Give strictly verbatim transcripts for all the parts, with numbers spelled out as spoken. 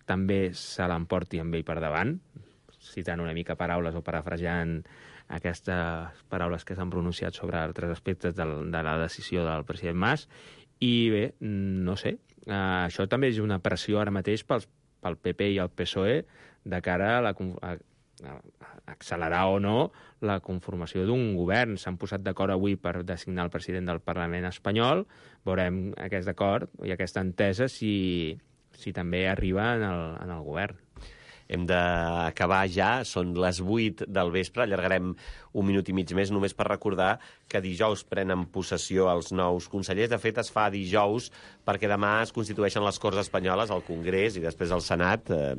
també se l'emporti amb ell per davant, citant una mica paraules o parafrasejant aquestes paraules que s'han pronunciat sobre altres aspectes de la decisió del president Mas. I bé, no sé, això també és una pressió ara mateix pel P P i el P S O E de cara a, la, a, a accelerar o no la conformació d'un govern. S'han posat d'acord avui per designar el president del Parlament espanyol. Veurem aquest acord i aquesta entesa si, si també arriba en el, en el govern. Hem d'acabar ja, són les vuit del vespre, allargarem un minut i mig més, només per recordar que dijous prenen possessió els nous consellers. De fet, es fa dijous perquè demà es constitueixen les Corts Espanyoles, al Congrés i després al Senat, eh,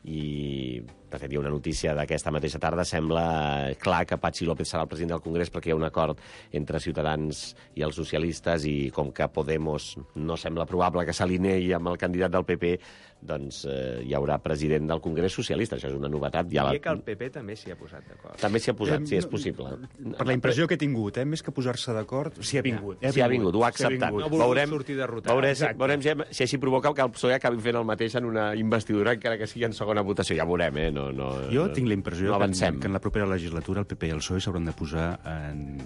i de fet hi ha una notícia d'aquesta mateixa tarda. Sembla clar que Patxi López serà el president del Congrés perquè hi ha un acord entre Ciutadans i els socialistes, i com que Podemos no sembla probable que s'alinei amb el candidat del P P, doncs eh, hi haurà president del Congrés socialista. Això és una novetat. Ja Diria la... que el P P també s'hi ha posat d'acord. També s'hi ha posat, sí, és possible. Per la impressió que he tingut, eh? Més que posar-se d'acord, s'hi ha vingut. S'hi ha vingut, ho ha acceptat. No ha volgut sortir derrotat. Veurem, veurem si, si així provoca que el P S O E acabi fent el mateix en una investidura, encara que sigui en segona votació. Ja veurem, eh? No, no, jo tinc la impressió no que, avancem. que en la propera legislatura el P P i el P S O E s'hauran de posar en,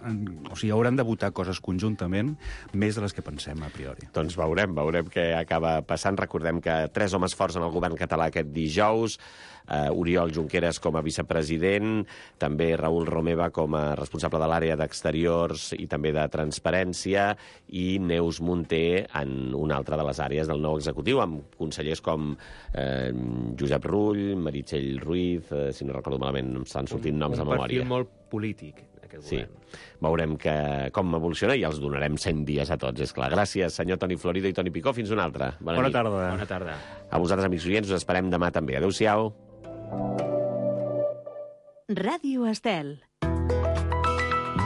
en... O sigui, hauran de votar coses conjuntament més de les que pensem a priori. Doncs veurem, veurem què acaba passant. Recordem que tres homes forts en el govern català aquest dijous, uh, Oriol Junqueras com a vicepresident, també Raül Romeva com a responsable de l'àrea d'exteriors i també de transparència, i Neus Munté en una altra de les àrees del nou executiu, amb consellers com eh, Josep Rull, Meritxell Ruiz, eh, si no recordo malament, em estan sortint noms de memòria. Un perfil molt polític, aquest sí. govern. Veurem que, com evoluciona, i els donarem cent dies a tots, és clar. Gràcies, senyor Toni Florido i Toni Picó. Fins una altra. Bona, Bona tarda. Bona tarda. A vosaltres, amics oients, us esperem demà també. Adéu-siau. Ràdio Estel.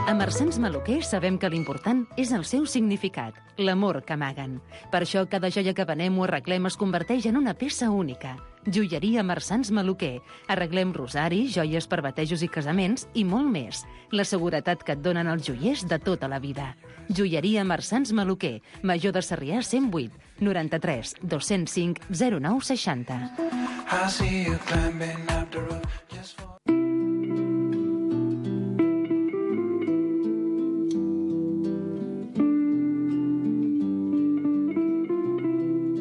A Marsans Maluquer sabem que l'important és el seu significat, l'amor que amaguen. Per això cada joia que venem o arreglem es converteix en una peça única. Joieria Marsans Maluquer. Arreglem rosari, joies per batejos i casaments i molt més. La seguretat que et donen els joiers de tota la vida. Joieria Marsans Maluquer. Major de Sarrià cent vuit, noranta-tres, dos-cents cinc, zero nou seixanta. I see you climbing up the roof just for...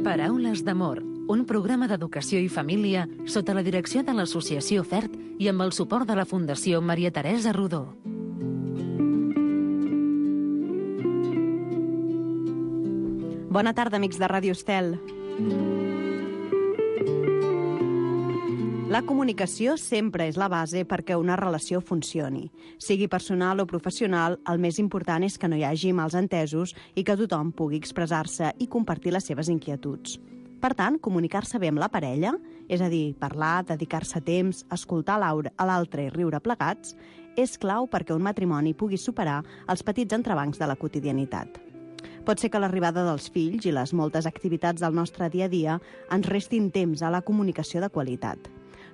Paraules d'amor, un programa d'educació i família sota la direcció de l'Associació FERT i amb el suport de la Fundació Maria Teresa Rodó. Bona tarda, amics de Ràdio Estel. La comunicació sempre és la base perquè una relació funcioni. Sigui personal o professional, el més important és que no hi hagi mals entesos i que tothom pugui expressar-se i compartir les seves inquietuds. Per tant, comunicar-se bé amb la parella, és a dir, parlar, dedicar-se temps, escoltar a l'altre i riure plegats, és clau perquè un matrimoni pugui superar els petits entrebancs de la quotidianitat. Pot ser que l'arribada dels fills i les moltes activitats del nostre dia a dia ens restin temps a la comunicació de qualitat.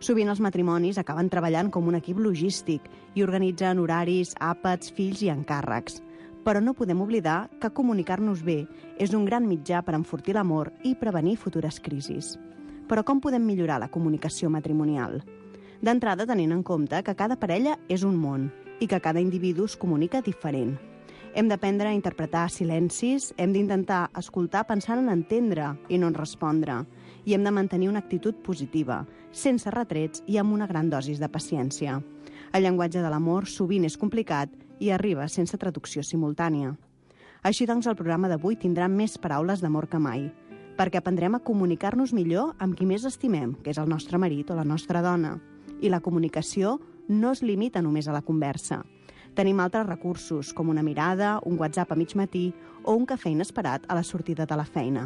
Sovint els matrimonis acaben treballant com un equip logístic i organitzen horaris, àpats, fills i encàrrecs. Però no podem oblidar que comunicar-nos bé és un gran mitjà per enfortir l'amor i prevenir futures crisis. Però com podem millorar la comunicació matrimonial? D'entrada, tenint en compte que cada parella és un món i que cada individu es comunica diferent. Hem d'aprendre a interpretar silencis, hem d'intentar escoltar pensant en entendre i no en respondre, i hem de mantenir una actitud positiva, sense retrets i amb una gran dosis de paciència. El llenguatge de l'amor sovint és complicat i arriba sense traducció simultània. Així doncs, el programa d'avui tindrà més paraules d'amor que mai, perquè aprendrem a comunicar-nos millor amb qui més estimem, que és el nostre marit o la nostra dona. I la comunicació no es limita només a la conversa. Tenim altres recursos, com una mirada, un WhatsApp a mig matí o un cafè inesperat a la sortida de la feina.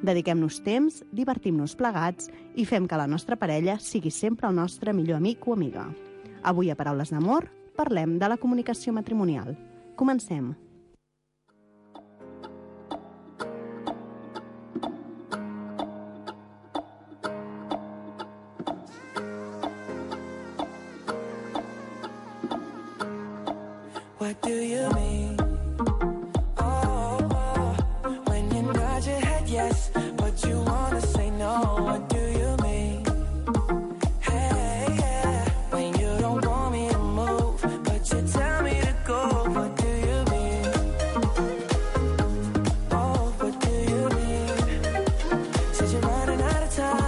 Dediquem-nos temps, divertim-nos plegats i fem que la nostra parella sigui sempre el nostre millor amic o amiga. Avui a Paraules d'Amor parlem de la comunicació matrimonial. Comencem. What do you mean? Oh, oh, when you nod your head yes, but you wanna say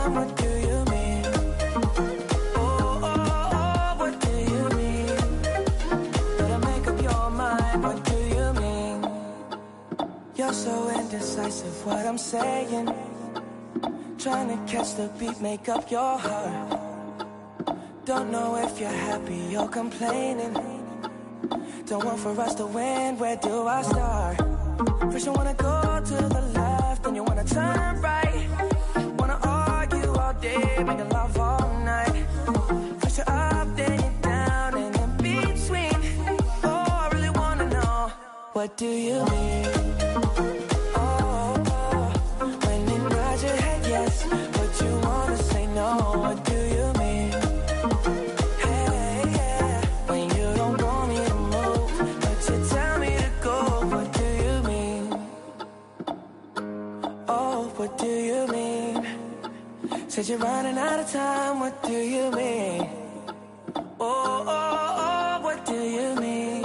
time, what do you mean? Oh, oh, oh, what do you mean? Better make up your mind, what do you mean? You're so indecisive, what I'm saying. Trying to catch the beat, make up your heart. Don't know if you're happy or complaining. Don't want for us to win, where do I start? First you wanna go to the left, then you wanna turn right. Wanna argue all day, make love all night. First you're up, then you're down, and in between. Oh, I really wanna know, what do you mean? Oh, oh, when you nod your head yes, but you wanna say no, what do you mean? Hey, yeah, when you don't want me to move, but you tell me to go, what do you mean? Oh, what do you mean? Said you're running out of time, what do you mean? Oh, oh, oh, what do you mean?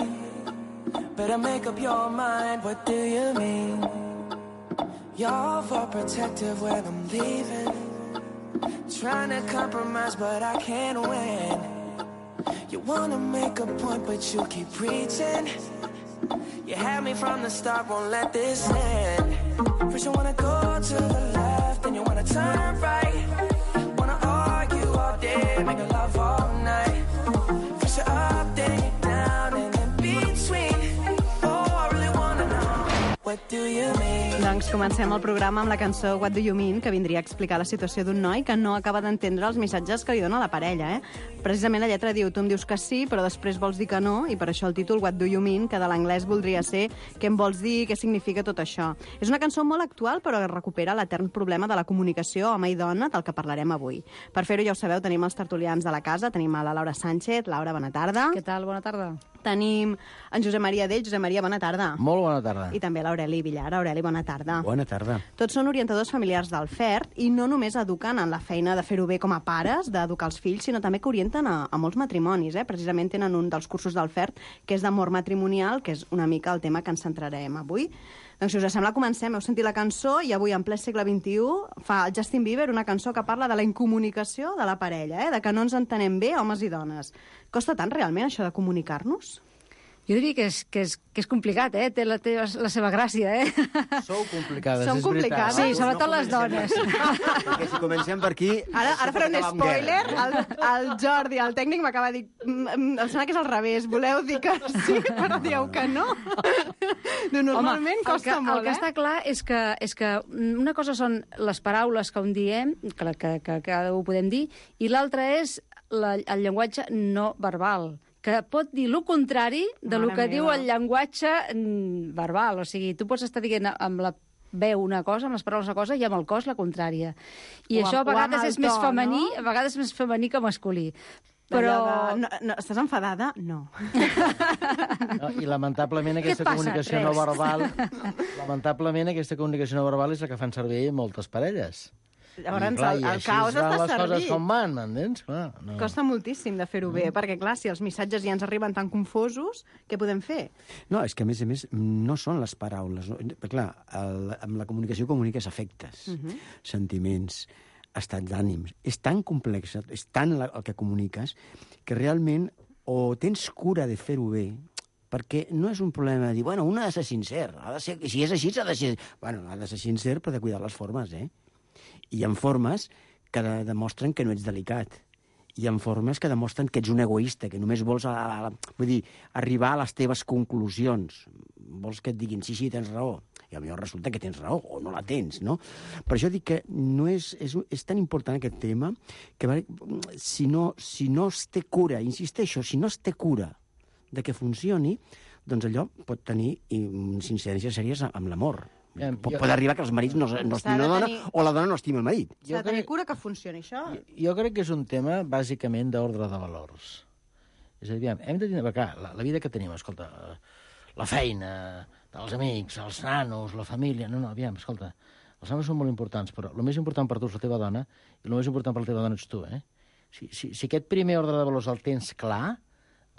Better make up your mind, what do you mean? You're overprotective when I'm leaving. Trying to compromise, but I can't win. You wanna make a point, but you keep preaching. You had me from the start, won't let this end. First you wanna go to the left, then you wanna turn right. Wanna argue all day, make love all night. First you're up, then you're down, and in between. Oh, I really wanna know, what do you mean? Doncs comencem el programa amb la cançó What Do You Mean, que vindria a explicar la situació d'un noi que no acaba d'entendre els missatges que li dona la parella. Eh? Precisament la lletra diu, tu em dius que sí, però després vols dir que no, i per això el títol What Do You Mean, que de l'anglès voldria ser què em vols dir, què significa tot això. És una cançó molt actual, però recupera l'etern problema de la comunicació home i dona, del que parlarem avui. Per fer-ho, ja ho sabeu, tenim els tertulians de la casa, tenim a la Laura Sánchez. Laura, bona tarda. Què tal? Bona tarda. Tenim en Josep Maria Dell. Josep Maria, bona tarda. Molt bona tarda. I també l'Aureli Villar. Aureli, bona tarda. Bona tarda. Tots són orientadors familiars del F E R T i no només eduquen en la feina de fer-ho bé com a pares, d'educar els fills, sinó també que orienten a, a molts matrimonis. Eh? Precisament tenen un dels cursos del F E R T, que és d'amor matrimonial, que és una mica el tema que ens centrarem avui. Doncs, si us sembla, comencem. Heu sentit la cançó i avui, en ple segle vint-i-u, fa el Justin Bieber una cançó que parla de la incomunicació de la parella, eh? De que no ens entenem bé, homes i dones. Costa tant, realment, això de comunicar-nos? Jo diria que és, que és, que és complicat, eh? Té la, té la seva gràcia, eh? Sou complicades, Som és complicades. veritat. Sí, sobretot les dones. Perquè si comencem per aquí... Ara, ara faré un acabar amb spoiler. guerra. El, el Jordi, el tècnic, m'acaba de dir... "Mm, mm, Em sembla que és al revés. Voleu dir que sí, però dieu que no. No, normalment Home, costa el que, molt, el que eh? està clar és que, és que una cosa són les paraules que un diem, que, que, que, que ho podem dir, i l'altra és la, el llenguatge no verbal, que pot dir el contrari de Mare lo que meva. diu el llenguatge mm, verbal. O sigui, tu pots estar dient amb la veu una cosa, amb les paraules una cosa, i amb el cos la contrària. I O això a amb- o amb vegades el és més to, femení, no? a vegades és més femení que masculí. Però... Però... No, no, estàs enfadada? No. No, I lamentablement aquesta passa? comunicació no Res. verbal, lamentablement aquesta comunicació no verbal és la que fan servir moltes parelles. Llavors, I, clar, el, i el així caos van està les coses servit. com van, m'entens? Clar, no. Costa moltíssim de fer-ho bé, perquè, clar, si els missatges ja ens arriben tan confosos, què podem fer? No, és que, a més a més, no són les paraules. No? Perquè, clar, el, amb la comunicació comuniques afectes, uh -huh. sentiments, estats d'ànims. És tan complex, és tant la, el que comuniques, que realment o tens cura de fer-ho bé, perquè no és un problema de dir, bueno, un ha de ser sincer, ha de ser, si és així, ha de ser... Bueno, ha de ser sincer, però de cuidar les formes, eh? I hi ha formes que de, demostren que no ets delicat. Hi ha formes que demostren que ets un egoista, que només vols a, a, vull dir, arribar a les teves conclusions. Vols que et diguin, sí, sí, tens raó. I potser resulta que tens raó, o no la tens, no? Per això dic que no és, és, és tan important aquest tema que si no, si no es té cura, insisteixo, si no es té cura de que funcioni, doncs allò pot tenir incidències sèries amb l'amor. Ja, Pot, jo- pot arribar que els marits no, no S'ha estimen de la dona tenir- o la dona no estima el marit. S'ha de tenir cura que funcioni això. Jo, jo crec que és un tema, bàsicament, d'ordre de valors. És a dir, aviam, hem de tenir... Clar, la, la vida que tenim, escolta, la feina, els amics, els nanos, la família... No, no, aviam, escolta, els nanos són molt importants, però el més important per tu és la teva dona i el més important per la teva dona ets tu, eh? Si, si, si aquest primer ordre de valors el tens clar,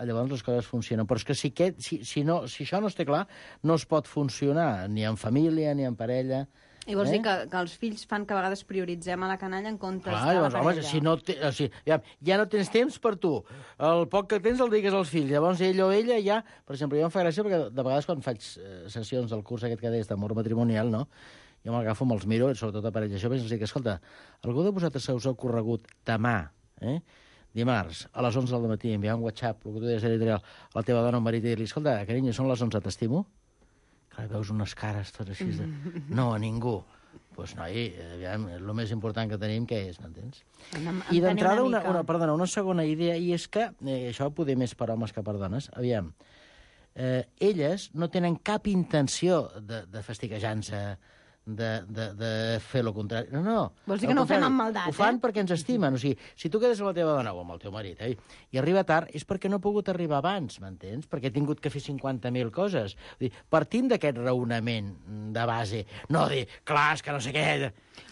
llavors les coses funcionen. Però és que si, aquest, si, si, no, si això no es té clar, no es pot funcionar, ni en família, ni en parella, I vols Eh? dir que, que els fills fan que a vegades prioritzem a la canalla en comptes Clar, de la llavors, home, parella. si no te, o sigui, ja, ja no tens temps per tu. El poc que tens el digues als fills. Llavors ell o ella ja... Per exemple, jo em fa gràcia perquè de vegades quan faig eh, sessions del curs aquest que deies d'amor matrimonial, no? Jo me'lagafo, me'ls miro, sobretot a parelles joves, i els dic, escolta, algú de vosaltres se us ha ocorregut demà, eh? dimarts, a les onze del matí, enviar un WhatsApp, el que tu deies editorial, a la teva dona o marit i dir-li, escolta, carinyo, són les onze, t'estimo? Clar, veus unes cares totes així de... No, a ningú. Doncs, pues, noi, aviam, el més important que tenim, què és, m'entens? I d'entrada, una, una, perdona, una segona idea, i és que, eh, això poder més per homes que per dones, aviam, eh, elles no tenen cap intenció de, de fastiguejar-se, de, de, de fer el contrari. No, no. Vols dir que no ho fem amb maldat, Ho fan eh? perquè ens estimen. O sigui, si tu quedes amb la teva dona o amb el teu marit eh, i arriba tard, és perquè no ha pogut arribar abans, m'entens? Perquè ha tingut que fer cinquanta mil coses. Vull dir, partint d'aquest raonament de base, no dir, clar, és que no sé què...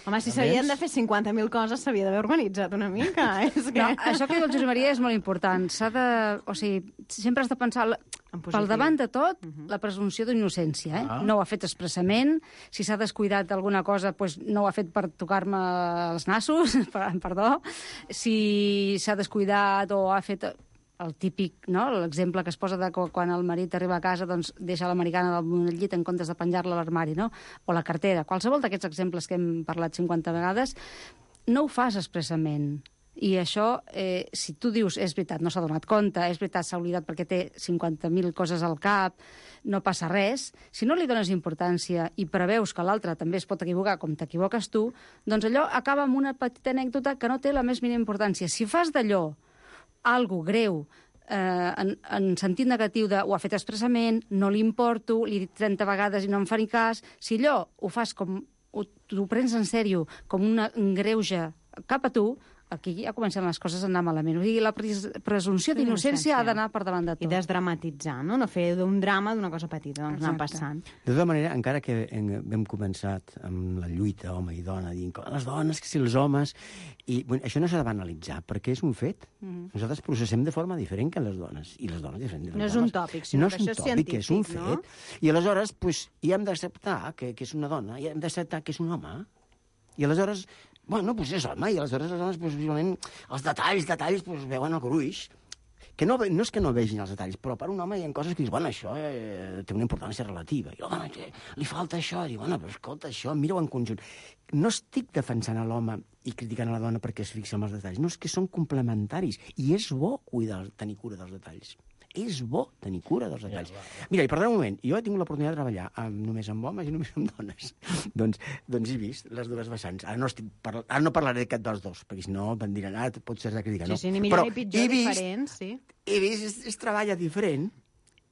Home, si s'havien de fer cinquanta mil coses, s'havia d'haver organitzat una mica. És que... No, això que diu el Josep Maria és molt important. S'ha de... O sigui, sempre has de pensar... La... Pel davant de tot, uh -huh. la presumpció d'innocència. Eh? Ah. No ho ha fet expressament. Si s'ha descuidat alguna cosa, doncs no ho ha fet per tocar-me els nassos, perdó. Si s'ha descuidat o ha fet... el típic, no? L'exemple que es posa de quan el marit arriba a casa doncs deixa l'americana del llit en comptes de penjar-la a l'armari, no? O la cartera. Qualsevol d'aquests exemples que hem parlat cinquanta vegades, no ho fas expressament. I això, eh, si tu dius, és veritat, no s'ha donat compte, és veritat, s'ha oblidat perquè té cinquanta mil coses al cap, no passa res, si no li dones importància i preveus que l'altre també es pot equivocar com t'equivoques tu, doncs allò acaba amb una petita anècdota que no té la més mínima importància. Si fas d'allò algo greu, eh, en, en sentit negatiu de ho ha fet expressament, no li importo, li he dit trenta vegades i no em fa ni cas, si allò ho fas com, ho, ho prens en sèrio, com una, un greuge cap a tu, aquí ja comencen les coses a anar malament. O sigui, la pres presumpció d'innocència ha d'anar per davant de tot. I desdramatitzar, no? No fer d'un drama d'una cosa petita, doncs anar passant. De tota manera, encara que hem començat amb la lluita home i dona, dient que les dones, que si els homes... I bueno, això no s'ha de banalitzar, perquè és un fet. Mm-hmm. Nosaltres processem de forma diferent que les dones. I les dones diferent de les no és dones. un tòpic, sinó no que això és tòpic, científic, és un fet. No? I aleshores, pues, hi hem d'acceptar que, que és una dona, i hem d'acceptar que és un home. I aleshores... Bueno, doncs és home, i aleshores les dones, possiblement, els detalls, detalls, doncs veuen el gruix. Que no, no és que no vegin els detalls, però per un home hi ha coses que dius, bueno, això eh, té una importància relativa. I l'home, li falta això, i diu, bueno, però escolta, això, mira-ho en conjunt. No estic defensant a l'home i criticant a la dona perquè es fixa en els detalls, no, és que són complementaris, i és bo cuidar, tenir cura dels detalls. És bo tenir cura dels detalls. Ja, mira, i perdona un moment, jo he tingut l'oportunitat de treballar amb, només amb homes i només amb dones. doncs, doncs he vist les dues vessants. Ara no, estic parla... Ara no parlaré de cap dels dos, perquè si no em diran, ah, pot ser de crítica. Sí, no. sí, ni millor Però ni pitjor, vist, diferent, sí. He vist, es, es treballa diferent,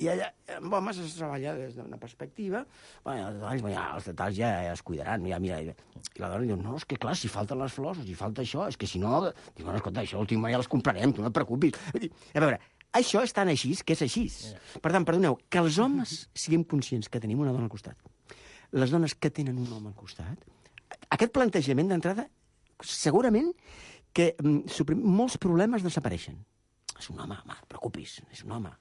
i allà, amb homes es treballa des d'una perspectiva, bueno, els detalls, bueno, ja, els detalls ja, ja es cuidaran, ja, mira, i la dona diu, no, és que clar, si falten les flors, si falta això, és que si no, diu, bueno, escolta, això l'últim ja les comprarem, tu no et preocupis. A veure, això és tan així que és així. Per tant, perdoneu, que els homes siguem conscients que tenim una dona al costat, les dones que tenen un home al costat, aquest plantejament d'entrada, segurament que suprim, molts problemes desapareixen. És un home, home, preocupis, és un home.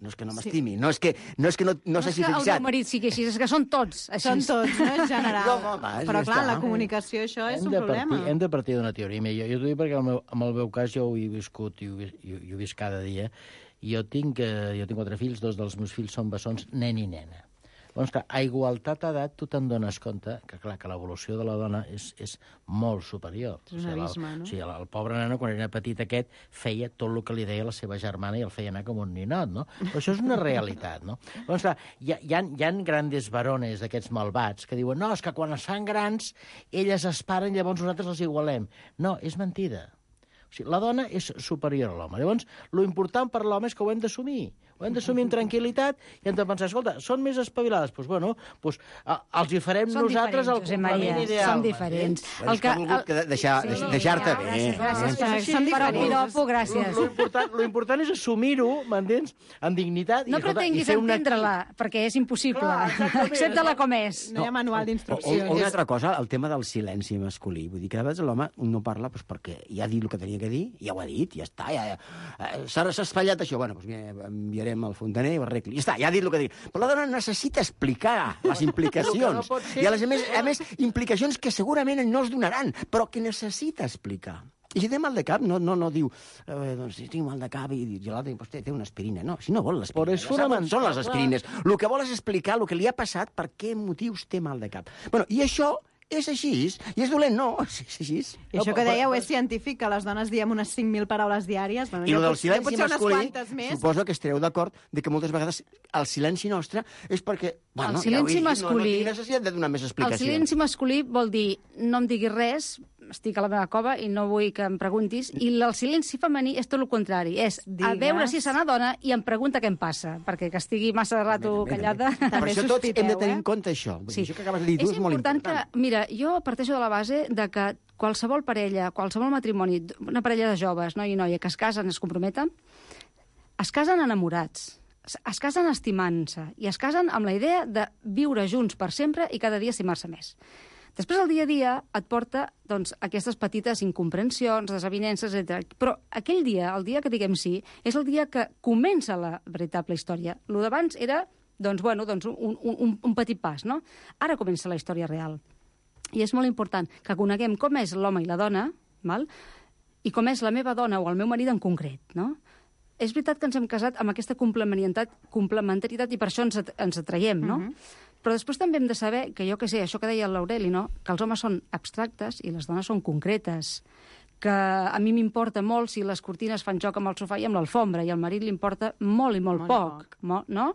No és que no m'estimi, sí. no és que no, és que no, no, no s'hagi fixat. No és que el meu marit sigui així, és que són tots així. Són tots, no? En general. No, home, però clar, la comunicació, això és hem un problema. Partir, hem de partir d'una teoria. Jo, jo t'ho dic perquè el meu, en el meu cas jo ho he viscut i ho, i ho, i ho he vist cada dia. Jo tinc, eh, jo tinc quatre fills, dos dels meus fills són bessons, nen i nena. Llavors, clar, a igualtat d'edat, tu te'n dones compte que, clar, que l'evolució de la dona és, és molt superior. És un abisme, no? O sigui, el, el pobre nano, quan era petit aquest, feia tot el que li deia la seva germana i el feia anar com un ninot, no? Però això és una realitat, no? Llavors, clar, hi ha, hi ha, hi ha grandes varones d'aquests malvats que diuen, no, és que quan es fan grans, elles es paren, llavors nosaltres els igualem. No, és mentida. O sigui, la dona és superior a l'home. Llavors, lo important per l'home és que ho hem d'assumir. Ho hem d'assumir amb tranquil·litat i hem de pensar, escolta, són més espavilades? Doncs, pues, bueno, pues, a, els hi farem són nosaltres el complement ideal. Són diferents. El que, el... que deixar, sí, deixar-te bé. Gràcies, gràcies. Sí, sí, Són diferents. Piropo, gràcies. Lo, lo, important, lo important és assumir-ho, m'entens? Amb dignitat. No i, escolta, pretenguis i una... entendre-la, perquè és impossible. Accepta-la com és. No hi ha manual d'instruccions. O, o una altra cosa, el tema del silenci masculí. Vull dir que a vegades l'home no parla doncs, perquè ja ha dit el que tenia que dir, ja ho ha dit, ja està, ja, ja. S'ha espatllat això. Bueno, doncs mira, enviaré trucarem al fontaner i ho arregli. Ja està, ja ha dit el que dic. Però la dona necessita explicar les implicacions. no ser... I a, les, a, més, a més, implicacions que segurament no es donaran, però que necessita explicar. I si té mal de cap, no, no, no diu, eh, doncs si tinc mal de cap i, i l'altre, doncs té, té una aspirina. No, si no vol l'aspirina, Però és ja sap on fonamental, són les aspirines. El que vol és explicar el que li ha passat, per què motius té mal de cap. Bueno, i això és així, i és dolent, no, és així. I això que dèieu és científic, que les dones diem unes cinc mil paraules diàries. Bueno, I el del pot, silenci pot ser unes masculí, quantes més. suposo que estareu d'acord de que moltes vegades el silenci nostre és perquè... Bueno, El silenci ja ho he dit, masculí- No, no tinc necessitat de donar més El explicacions. silenci masculí vol dir no em diguis res, estic a la meva cova i no vull que em preguntis, i el silenci femení és tot el contrari, és a Digues. veure si se n'adona i em pregunta què em passa, perquè que estigui massa rato Bé, bé, bé, callada... bé. Per També això tots sospiteu, hem de tenir eh? en compte això. Vull dir, Sí. Això que acabes de dir tu és és molt important important. que, mira, jo parteixo de la base de que qualsevol parella, qualsevol matrimoni, una parella de joves, noi i noia, que es casen, es comprometen, es casen enamorats, es, es casen estimant-se i es casen amb la idea de viure junts per sempre i cada dia estimar-se més. Després, el dia a dia et porta doncs, aquestes petites incomprensions, desavinences, etcètera. Però aquell dia, el dia que diguem sí, és el dia que comença la veritable història. Lo d'abans era doncs, bueno, doncs un, un, un petit pas, no? Ara comença la història real. I és molt important que coneguem com és l'home i la dona, val? I com és la meva dona o el meu marit en concret, no? És veritat que ens hem casat amb aquesta complementarietat, complementarietat i per això ens, at ens atraiem, no? Mm-hmm. Però després també hem de saber que, jo que sé, això que deia l'Aureli, no? Que els homes són abstractes i les dones són concretes, que a mi m'importa molt si les cortines fan joc amb el sofà i amb l'alfombra, i al marit li importa molt i molt, Molt poc, poc. mo- no?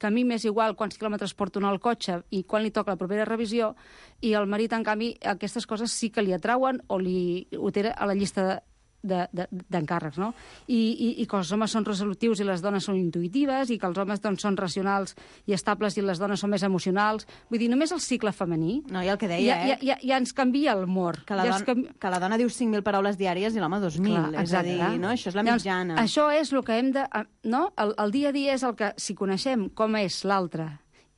Que a mi m'és igual quants quilòmetres porto en el cotxe i quan li toca la propera revisió, i al marit, en canvi, aquestes coses sí que li atrauen o li ho té a la llista de d'encàrrecs, no? I, i, i que els homes són resolutius i les dones són intuïtives, i que els homes doncs, són racionals i estables i les dones són més emocionals. Vull dir, només el cicle femení No, i el que ja, deia, ja, eh? ja, ja ens canvia l'humor. Que la, ja don ens canvi... que la dona diu cinc mil paraules diàries i l'home dos mil. Clar, És a dir, exacte. no? Això és la Llavors, mitjana. Això és el que hem de... No? El, el dia a dia és el que, si coneixem com és l'altre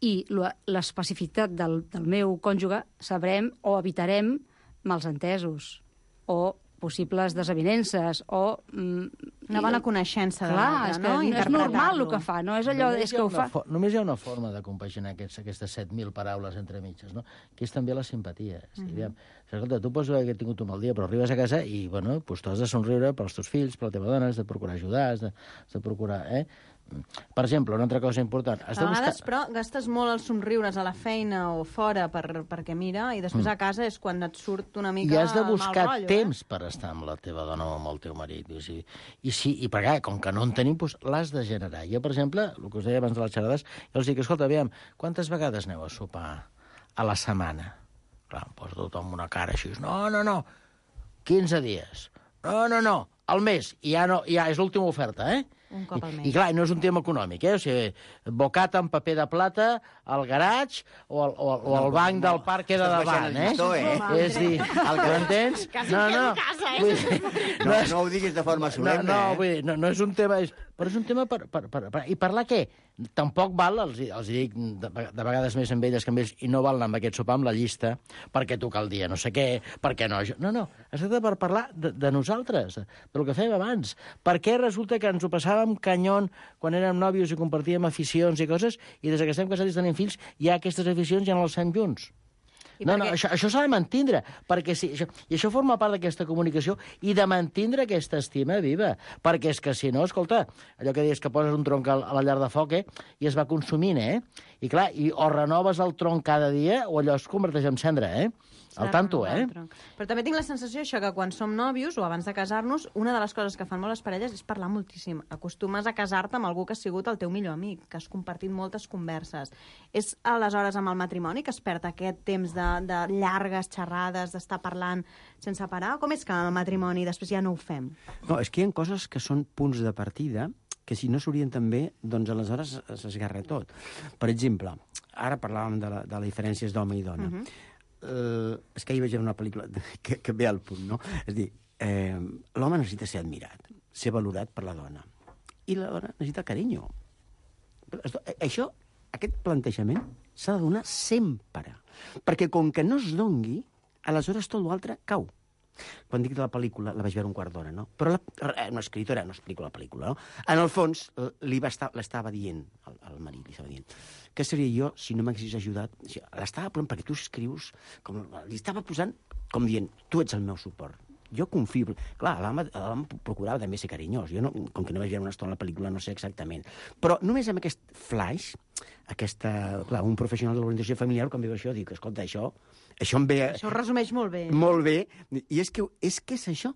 i la- l'especificitat del, del meu cònjuge, sabrem o evitarem malsentesos o possibles desavinences o... Mm, Una bona coneixença de Clar, l'altre, és que no? no és normal el Interpretar-lo. que fa, no és allò... Només És hi ha que ho una fa... fo- Només hi ha una forma de compaginar aquests, aquestes set mil paraules entre mitges, no? Que és també la simpatia. És a dir, aviam, escolta, tu pots haver tingut un mal dia, però arribes a casa i, bueno, doncs tu has de somriure pels teus fills, per la teva dona, has de procurar ajudar, has de, has de procurar... Eh? Per exemple, una altra cosa important. Has A de vegades, buscar... però, gastes molt els somriures a la feina o fora per, perquè mira, i després a casa és quan et surt una mica I has de mal buscar rotllo, temps per estar amb la teva dona o amb el teu marit. I, si, i, si, i per clar, com que no en tenim, doncs l'has de generar. Jo, per exemple, el que us deia abans de les xerrades, jo els dic, escolta, aviam, quantes vegades aneu a sopar a la setmana? Clar, em posa tothom una cara així. No, no, no, quinze dies. No, no, no, al mes. I ja, no, ja és l'última oferta, eh? Un cop al mes. I, I clar, no és un tema econòmic, eh? O sigui, bocata amb paper de plata al garatge o al, o, al- o al banc del parc que de Estàs davant, baixant el eh? llistó, eh? És dir, el que m'entens? No, no. Vull dir, No, no ho diguis de forma no, solemne, no, eh? vull dir, no, no és un tema... És, però és un tema per, per, per, per... I parlar què? Tampoc val, els, els dic de, de vegades més amb elles que amb ells, i no val anar amb aquest sopar amb la llista perquè toca el dia no sé què, perquè no... Jo... No, no, es tracta per parlar de, de nosaltres, del que fèiem abans. Per què resulta que ens ho passàvem canyon quan érem nòvios i compartíem aficions i coses, i des que estem casats i tenim fills, ja aquestes aficions ja no les fem junts? I No, perquè- no, això, això s'ha de mantindre, perquè sí, això, i això forma part d'aquesta comunicació i de mantindre aquesta estima viva, perquè és que si no, escolta, allò que deies que poses un tronc a la llar de foc, eh, i es va consumint, eh? I clar, i o renoves el tronc cada dia o allò es converteix en cendra, eh? Al tanto, eh? Però també tinc la sensació això que quan som nòvios o abans de casar-nos, una de les coses que fan molt les parelles és parlar moltíssim. Acostumes a casar-te amb algú que ha sigut el teu millor amic, que has compartit moltes converses. És aleshores amb el matrimoni que es perd aquest temps de, de llargues xerrades, d'estar parlant sense parar? Com és que el matrimoni després ja no ho fem? No, és que hi ha coses que són punts de partida que si no s'orienten bé, doncs aleshores s'esgarra tot. Per exemple, ara parlàvem de, la, de les diferències d'home i dona. Uh -huh. Uh, és que ahir vaig veure una pel·lícula que, que ve al punt, no? És a dir, eh, l'home necessita ser admirat, ser valorat per la dona. I la dona necessita carinyo. Això, aquest plantejament s'ha de donar sempre. Perquè com que no es dongui, aleshores tot l'altre cau. Quan dic de la pel·lícula, la vaig veure un quart d'hora, no? Però la, una escritora no explico la pel·lícula, no? En el fons, li va estar, l'estava dient, el, el marit li estava dient, què seria jo si no m'haguessis ajudat? L'estava posant perquè tu escrius, com, li estava posant com dient, tu ets el meu suport. Jo confio... Clar, l'home procurava també ser carinyós. Jo, no, com que no vaig veure una estona a la pel·lícula, no sé exactament. Però només amb aquest flash, aquesta, clar, un professional de l'orientació familiar, quan veu això, dic, escolta, això, això em ve... Això ho resumeix molt bé. Molt bé. I és que és, que és això.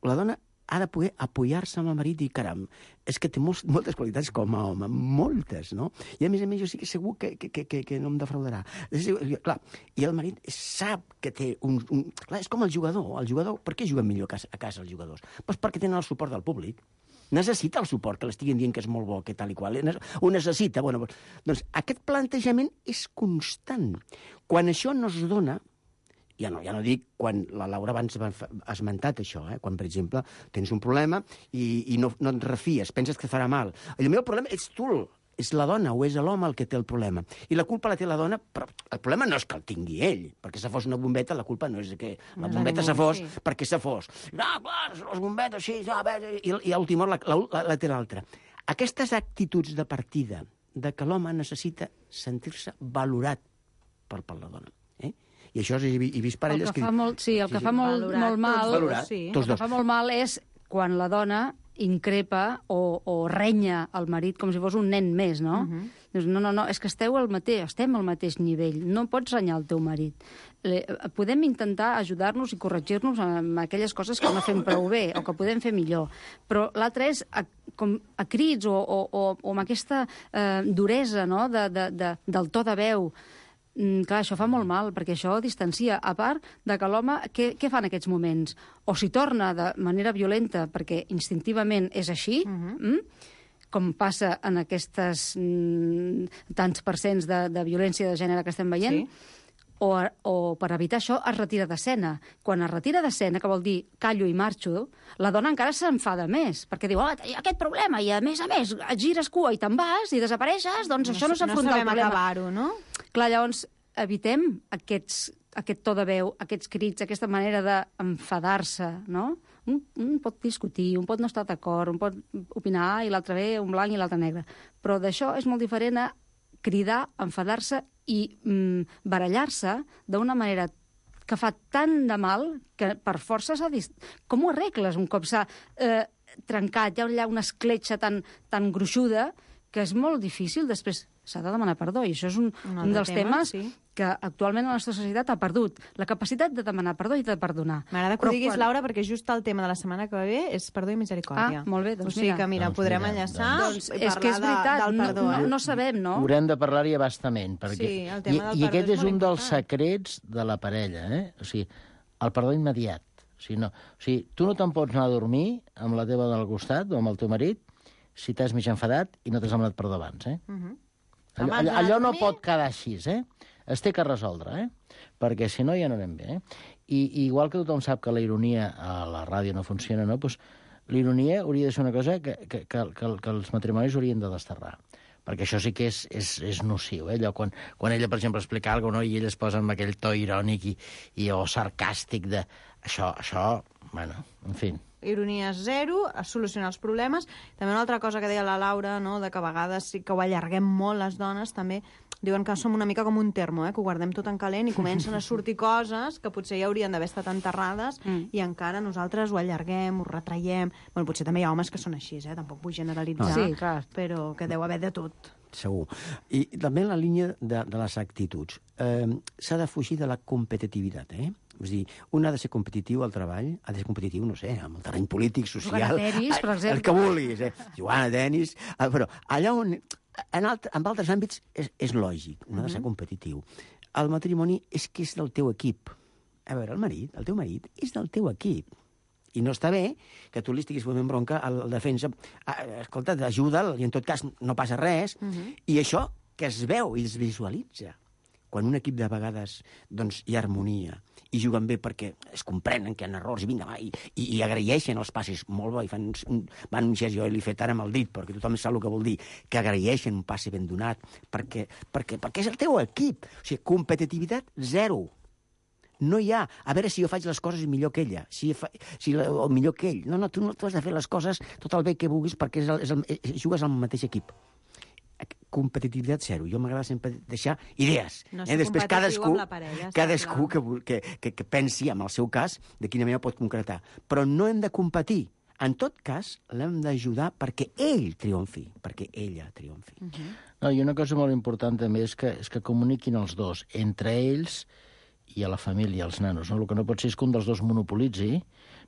La dona ha de poder apoyar-se amb el marit i, caram, és que té molts, moltes qualitats com a home, moltes, no? I a més a més jo sí que segur que, que, que, que no em defraudarà. És, clar, i el marit sap que té un, un... Clar, és com el jugador. El jugador, per què juguen millor a casa, a casa els jugadors? Pues perquè tenen el suport del públic. Necessita el suport, que l'estiguin dient que és molt bo, que tal i qual. Ho necessita. Bueno, doncs aquest plantejament és constant. Quan això no es dona, ja no, ja no dic quan la Laura abans ha esmentat això, eh? Quan, per exemple, tens un problema i, i no, no et refies, penses que farà mal. El meu problema ets tu, és la dona o és l'home el que té el problema. I la culpa la té la dona, però el problema no és que el tingui ell, perquè se fos una bombeta, la culpa no és que la bombeta se fos sí. perquè se fos. No, clar, les bombetes, sí, no, i, i a última hora la, la, la té l'altra. Aquestes actituds de partida de que l'home necessita sentir-se valorat per, per la dona. Eh? I això he, he vist parelles que... Molt, sí, el que sí, fa sí. molt, valorat, molt mal... Valorat, sí. El que fa molt mal és quan la dona increpa o, o renya el marit com si fos un nen més, no? Uh -huh. Dius, no, no, no, és que esteu al mateix, estem al mateix nivell, no pots renyar el teu marit. Podem intentar ajudar-nos i corregir-nos amb aquelles coses que no fem prou bé o que podem fer millor, però l'altre és a, com a crits o, o, o, o amb aquesta eh, duresa, no?, de, de, de, del to de veu. Mm, clar, això fa molt mal, perquè això distancia. A part de que l'home, què, què fa en aquests moments? O s'hi torna de manera violenta, perquè instintivament és així, uh-huh. mm? com passa en aquestes mm, tants percents de, de violència de gènere que estem veient, sí. o, o per evitar això es retira d'escena. Quan es retira d'escena, que vol dir callo i marxo, la dona encara s'enfada més, perquè diu, oh, hi ha aquest problema, i a més a més, et gires cua i te'n vas i desapareixes, doncs no, això no s'afronta no el problema. No sabem acabar-ho, no? Clar, llavors, evitem aquests, aquest to de veu, aquests crits, aquesta manera d'enfadar-se, no? Un, un pot discutir, un pot no estar d'acord, un pot opinar i l'altre ve un blanc i l'altre negre. Però d'això és molt diferent a cridar, enfadar-se i mm, barallar-se d'una manera que fa tant de mal que per força s'ha dit... Com ho arregles un cop s'ha eh, trencat? Hi ha allà una escletxa tan, tan gruixuda que és molt difícil després... S'ha de demanar perdó, i això és un, un, un dels tema, temes sí. que actualment la nostra societat ha perdut. La capacitat de demanar perdó i de perdonar. M'agrada que ho diguis, quan... Laura, perquè just el tema de la setmana que ve és perdó i misericòrdia. Ah, molt bé, doncs o sigui mira. que, mira, doncs podrem mira, enllaçar doncs, i és que és veritat, de, del perdó. No, eh? no, no sabem, no? Haurem de parlar-hi abastament, perquè... Sí, el tema del I, i aquest és, és un important. dels secrets de la parella, eh? O sigui, el perdó immediat. O sigui, no. o sigui, tu no te'n pots anar a dormir amb la teva dona al costat o amb el teu marit si t'has mig enfadat i no t'has demanat perdó abans, eh? Uh -huh. Allò, allò, allò no pot quedar així, eh? Es té que resoldre, eh? Perquè si no ja no anem bé, eh? I, i igual que tothom sap que la ironia a la ràdio no funciona, no? Pues, l'ironia hauria de ser una cosa que, que, que, que, que els matrimonis haurien de desterrar. Perquè això sí que és, és, és nociu, eh? Allò, quan, quan ella, per exemple, explica alguna cosa, no? I ell es posa amb aquell to irònic i, i o sarcàstic de... Això, això, bueno, en fi... Ironia zero, a solucionar els problemes. També una altra cosa que deia la Laura, no?, de que a vegades sí que ho allarguem molt les dones, també diuen que som una mica com un termo, eh?, que ho guardem tot en calent i comencen a sortir coses que potser ja haurien d'haver estat enterrades mm. i encara nosaltres ho allarguem, ho retraiem... Bueno, potser també hi ha homes que són així, eh?, tampoc vull generalitzar, no. Sí, clar. Però que deu haver de tot. Segur. I també en la línia de, de les actituds. Eh, s'ha de fugir de la competitivitat, eh? És dir, un ha de ser competitiu al treball, ha de ser competitiu, no sé, amb el terreny polític, social... Jugar a tenis, per exemple. El que vulguis, eh? Jugar a tenis... Però allà on... En, alt, en altres àmbits és, és lògic, no ha de ser competitiu. El matrimoni és que és del teu equip. A veure, el marit, el teu marit, és del teu equip. I no està bé que tu li estiguis fotent bronca al defensa. Escolta, ajuda'l, i en tot cas no passa res. Uh -huh. I això que es veu i es visualitza. Quan un equip de vegades doncs, hi ha harmonia i juguen bé perquè es comprenen que hi ha errors i vinga, va, i, i, i agraeixen els passes molt bé, i fan un, van un gest, jo l'he fet ara amb el dit, perquè tothom sap el que vol dir, que agraeixen un passe ben donat, perquè, perquè, perquè és el teu equip. O sigui, competitivitat zero. No hi ha, a veure si jo faig les coses millor que ella, si fa, si, o millor que ell. No, no, tu no tu has de fer les coses tot el bé que vulguis perquè és el, és el, és, jugues al mateix equip. Competitivitat zero. Jo m'agrada sempre deixar idees. No eh? ser Després competitiu cadascú, amb la parella, està cadascú clar. que, que, que, que pensi, en el seu cas, de quina manera pot concretar. Però no hem de competir. En tot cas, l'hem d'ajudar perquè ell triomfi, perquè ella triomfi. Uh -huh. No, i una cosa molt important també és que, és que comuniquin els dos, entre ells i a la família, als nanos. No? El que no pot ser és que un dels dos monopolitzi,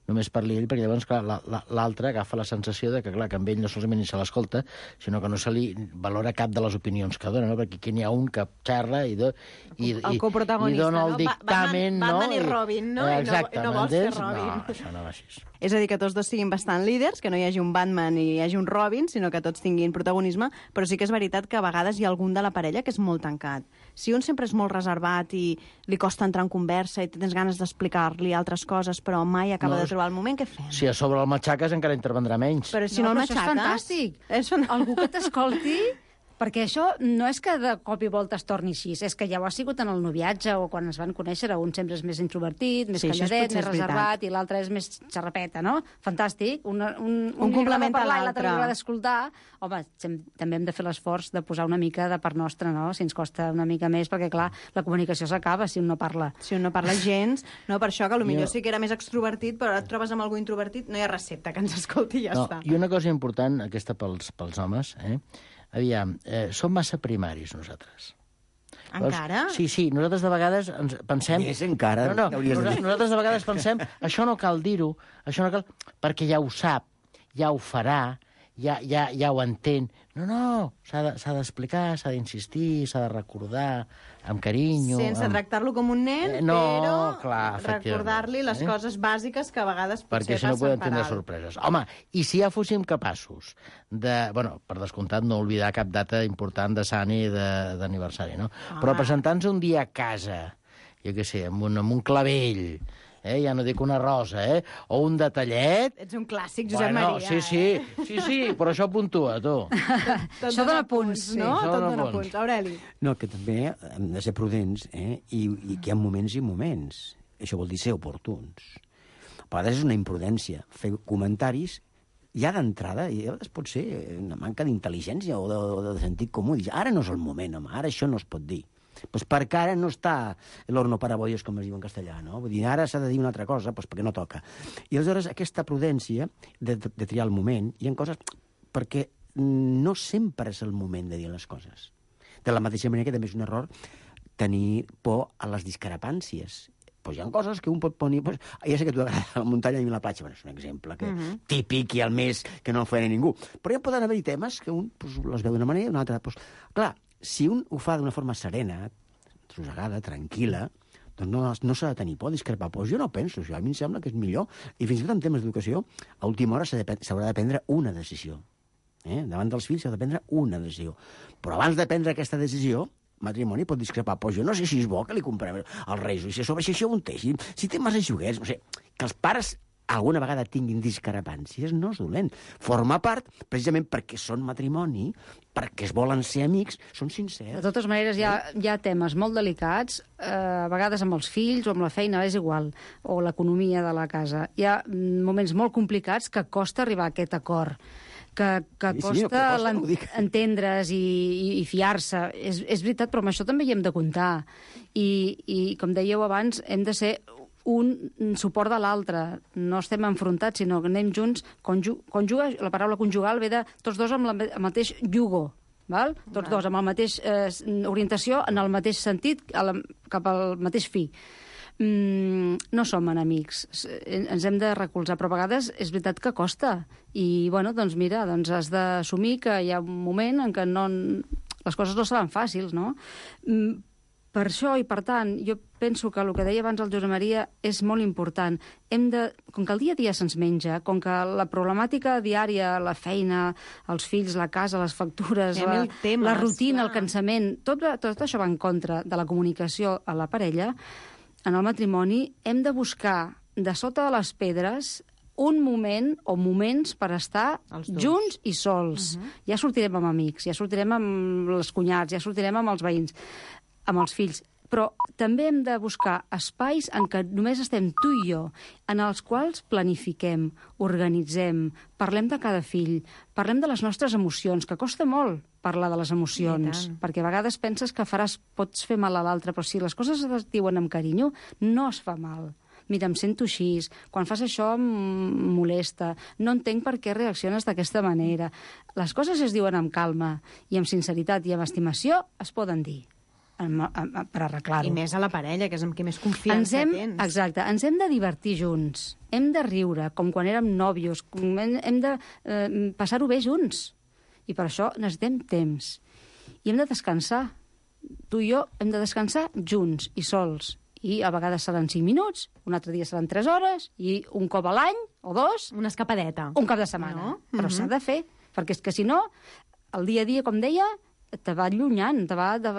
només parli ell, perquè llavors, clar, l'altre agafa la sensació de que, clar, que amb ell no solament ni se l'escolta, sinó que no se li valora cap de les opinions que dona, no? Perquè aquí n'hi ha un que xerra i, do, i, el i, coprotagonista, i dona el no? dictamen, Batman, no? Batman i Robin, no? Exacte, I no, no vols ser m'entens? Robin. No, això no va així. És a dir, que tots dos siguin bastant líders, que no hi hagi un Batman i hi hagi un Robin, sinó que tots tinguin protagonisme, però sí que és veritat que a vegades hi ha algun de la parella que és molt tancat. Si un sempre és molt reservat i li costa entrar en conversa i tens ganes d'explicar-li altres coses, però mai acaba No, de trobar el moment, què fem? Si a sobre el matxaques encara intervendrà menys. Però si no, no el però això és matxaques... fantàstic. És fan... Algú que t'escolti, perquè això no és que de cop i volta es torni així, és que ja ho ha sigut en el noviatge o quan es van conèixer, un sempre és més introvertit, més Sí, això és calladet, potser més és veritat. reservat, i l'altre és més xarrapeta, no? Fantàstic. Un, un, un, Un li agrada complementa parlar i l'altre. l'altre li agrada escoltar. Home, sem- també hem de fer l'esforç de posar una mica de part nostra, no? Si ens costa una mica més, perquè, clar, la comunicació s'acaba si un no parla. Si un no parla gens, no, per això que potser Jo- sí que era més extrovertit, però ara et trobes amb algú introvertit, no hi ha recepta que ens escolti i ja No, està. i una cosa important, aquesta pels, pels homes, eh? Aviam, eh, som massa primaris nosaltres. Encara? Sí, sí, nosaltres de vegades ens pensem... Més encara, No, no, hauries de nosaltres, dir. nosaltres de vegades pensem, això no cal dir-ho, això no cal... perquè ja ho sap, ja ho farà, ja, ja, ja ho entén. No, no, s'ha de- s'ha d'explicar, s'ha d'insistir, s'ha de recordar, amb carinyo... Sense amb... tractar-lo com un nen, Eh, no, però clar, efectivament, recordar-li les eh? coses bàsiques que a vegades potser perquè si no passen podem per tindre alt. sorpreses. Home, i si ja fóssim capaços de... Bueno, per descomptat, no oblidar cap data important de sant i de- d'aniversari, no? Ah. Però presentar-nos un dia a casa, jo què sé, amb un, amb un clavell, eh? Ja no dic una rosa, eh? O un detallet... Ets un clàssic, Josep Bueno, Maria. sí, sí, sí, sí, però això puntua, tu. Tot Això dona punts, sí. Això no? Tot dona dona punts. punts. Aureli. No, que també hem de ser prudents, eh? I, i que hi ha moments i moments. Això vol dir ser oportuns. A vegades és una imprudència fer comentaris ja d'entrada, i a vegades pot ser una manca d'intel·ligència o de, o de sentit comú. Dir, ara no és el moment, home, ara això no es pot dir. Pues perquè ara no està l'horno para bollos, com es diu en castellà, no? Vull dir, ara s'ha de dir una altra cosa, pues perquè no toca. I aleshores aquesta prudència de, de, de triar el moment, hi ha coses... perquè no sempre és el moment de dir les coses. De la mateixa manera que també és un error tenir por a les discrepàncies. Pues hi ha coses que un pot ponir... Pues, ja sé que a tu t'agrada la muntanya i la platja, bueno, és un exemple que, uh -huh. típic i al més que no el farà ningú. Però ja poden haver-hi temes que un pues, les veu d'una manera i una altra... Pues, clar, si un ho fa d'una forma serena, trossegada, tranquil·la, doncs no, no s'ha de tenir por a discrepar. Pues jo no penso això, a mi em sembla que és millor. I fins i tot en temes d'educació, a última hora s'ha de, s'haurà de prendre una decisió. Eh? Davant dels fills s'ha de prendre una decisió. Però abans de prendre aquesta decisió, matrimoni pot discrepar. Pues jo no sé si és bo que li comprem els reis, i si a sobre si això ho té, si, si té massa joguets, no sé, que els pares alguna vegada tinguin discrepàncies no és dolent. Forma part, precisament perquè són matrimoni, perquè es volen ser amics, són sincers. De totes maneres, hi ha, hi ha temes molt delicats, eh, a vegades amb els fills o amb la feina, és igual, o l'economia de la casa. Hi ha mm, moments molt complicats que costa arribar a aquest acord, que, que Sí, sí, costa, que costa, l'en- ho dic. entendre's i, i, i fiar-se. És, és veritat, però amb això també hi hem de comptar. I, I, com dèieu abans, hem de ser un suport de l'altre. No estem enfrontats, sinó que anem junts. Conju, conjuga, la paraula conjugal ve de tots dos amb la, el mateix jugo, val? Tots dos amb la mateixa eh, orientació, en el mateix sentit, a la, cap al mateix fi. Mm, no som enemics, ens hem de recolzar, però a vegades és veritat que costa. I, bueno, doncs mira, doncs has d'assumir que hi ha un moment en què no, les coses no seran fàcils, no? Mm, per això, i per tant, jo penso que el que deia abans el Josep Maria és molt important. Hem de, com que el dia a dia se'ns menja, com que la problemàtica diària, la feina, els fills, la casa, les factures, Hi ha la, mil temes, la rutina, clar. el cansament, tot, tot això va en contra de la comunicació a la parella. En el matrimoni hem de buscar de sota de les pedres un moment o moments per estar Els dos. junts i sols. Uh -huh. Ja sortirem amb amics, ja sortirem amb els cunyats, ja sortirem amb els veïns, amb els fills. però també hem de buscar espais en què només estem tu i jo, en els quals planifiquem, organitzem, parlem de cada fill, parlem de les nostres emocions, que costa molt parlar de les emocions, perquè a vegades penses que faràs, pots fer mal a l'altre, però si les coses es diuen amb carinyo, no es fa mal. Mira, em sento així, quan fas això em molesta, no entenc per què reacciones d'aquesta manera. Les coses es diuen amb calma i amb sinceritat i amb estimació es poden dir per arreglar-ho. I més a la parella, que és amb qui més confiança hem, tens. Exacte, ens hem de divertir junts, hem de riure, com quan érem nòvios, hem, hem de eh, passar-ho bé junts. I per això necessitem temps. I hem de descansar. Tu i jo hem de descansar junts i sols. I a vegades seran cinc minuts, un altre dia seran tres hores, i un cop a l'any, o dos... Una escapadeta. Un cap de setmana. No? Però Mm-hmm. s'ha de fer, perquè és que si no, el dia a dia, com deia, te va allunyant, te va... De,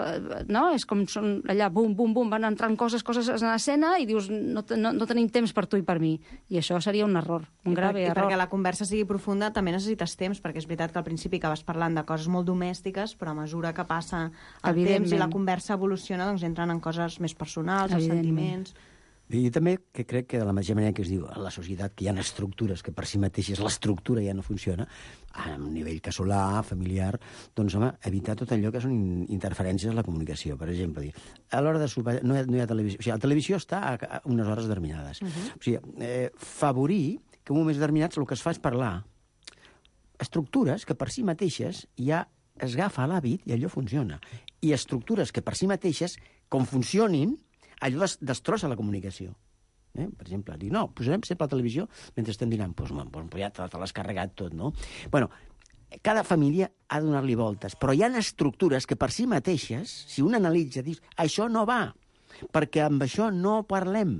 no? És com són allà, bum, bum, bum, van entrant coses, coses en escena, i dius, no, no, no tenim temps per tu i per mi. I això seria un error, un grave I error. perquè la conversa sigui profunda també necessites temps, perquè és veritat que al principi acabes parlant de coses molt domèstiques, però a mesura que passa el temps i la conversa evoluciona, doncs entren en coses més personals, els sentiments... I jo també que crec que de la mateixa manera que es diu a la societat que hi ha estructures que per si mateixes l'estructura ja no funciona, a un nivell casolà, familiar, doncs, home, evitar tot allò que són interferències en la comunicació. Per exemple, dir, a l'hora de sopar no hi ha, no hi ha televisió. O sigui, la televisió està a unes hores determinades. Uh-huh. O sigui, eh, favorir que en moments determinats el que es fa és parlar. Estructures que per si mateixes ja es agafa l'hàbit i allò funciona. I estructures que per si mateixes, com funcionin, allò des destrossa la comunicació. Eh? Per exemple, dir, no, posarem sempre la televisió mentre estem dinant. Doncs pues, pues, ja te, te l'has carregat tot, no? Bueno, cada família ha de donar-li voltes, però hi ha estructures que per si mateixes, si un analitza, dius, això no va, perquè amb això no parlem.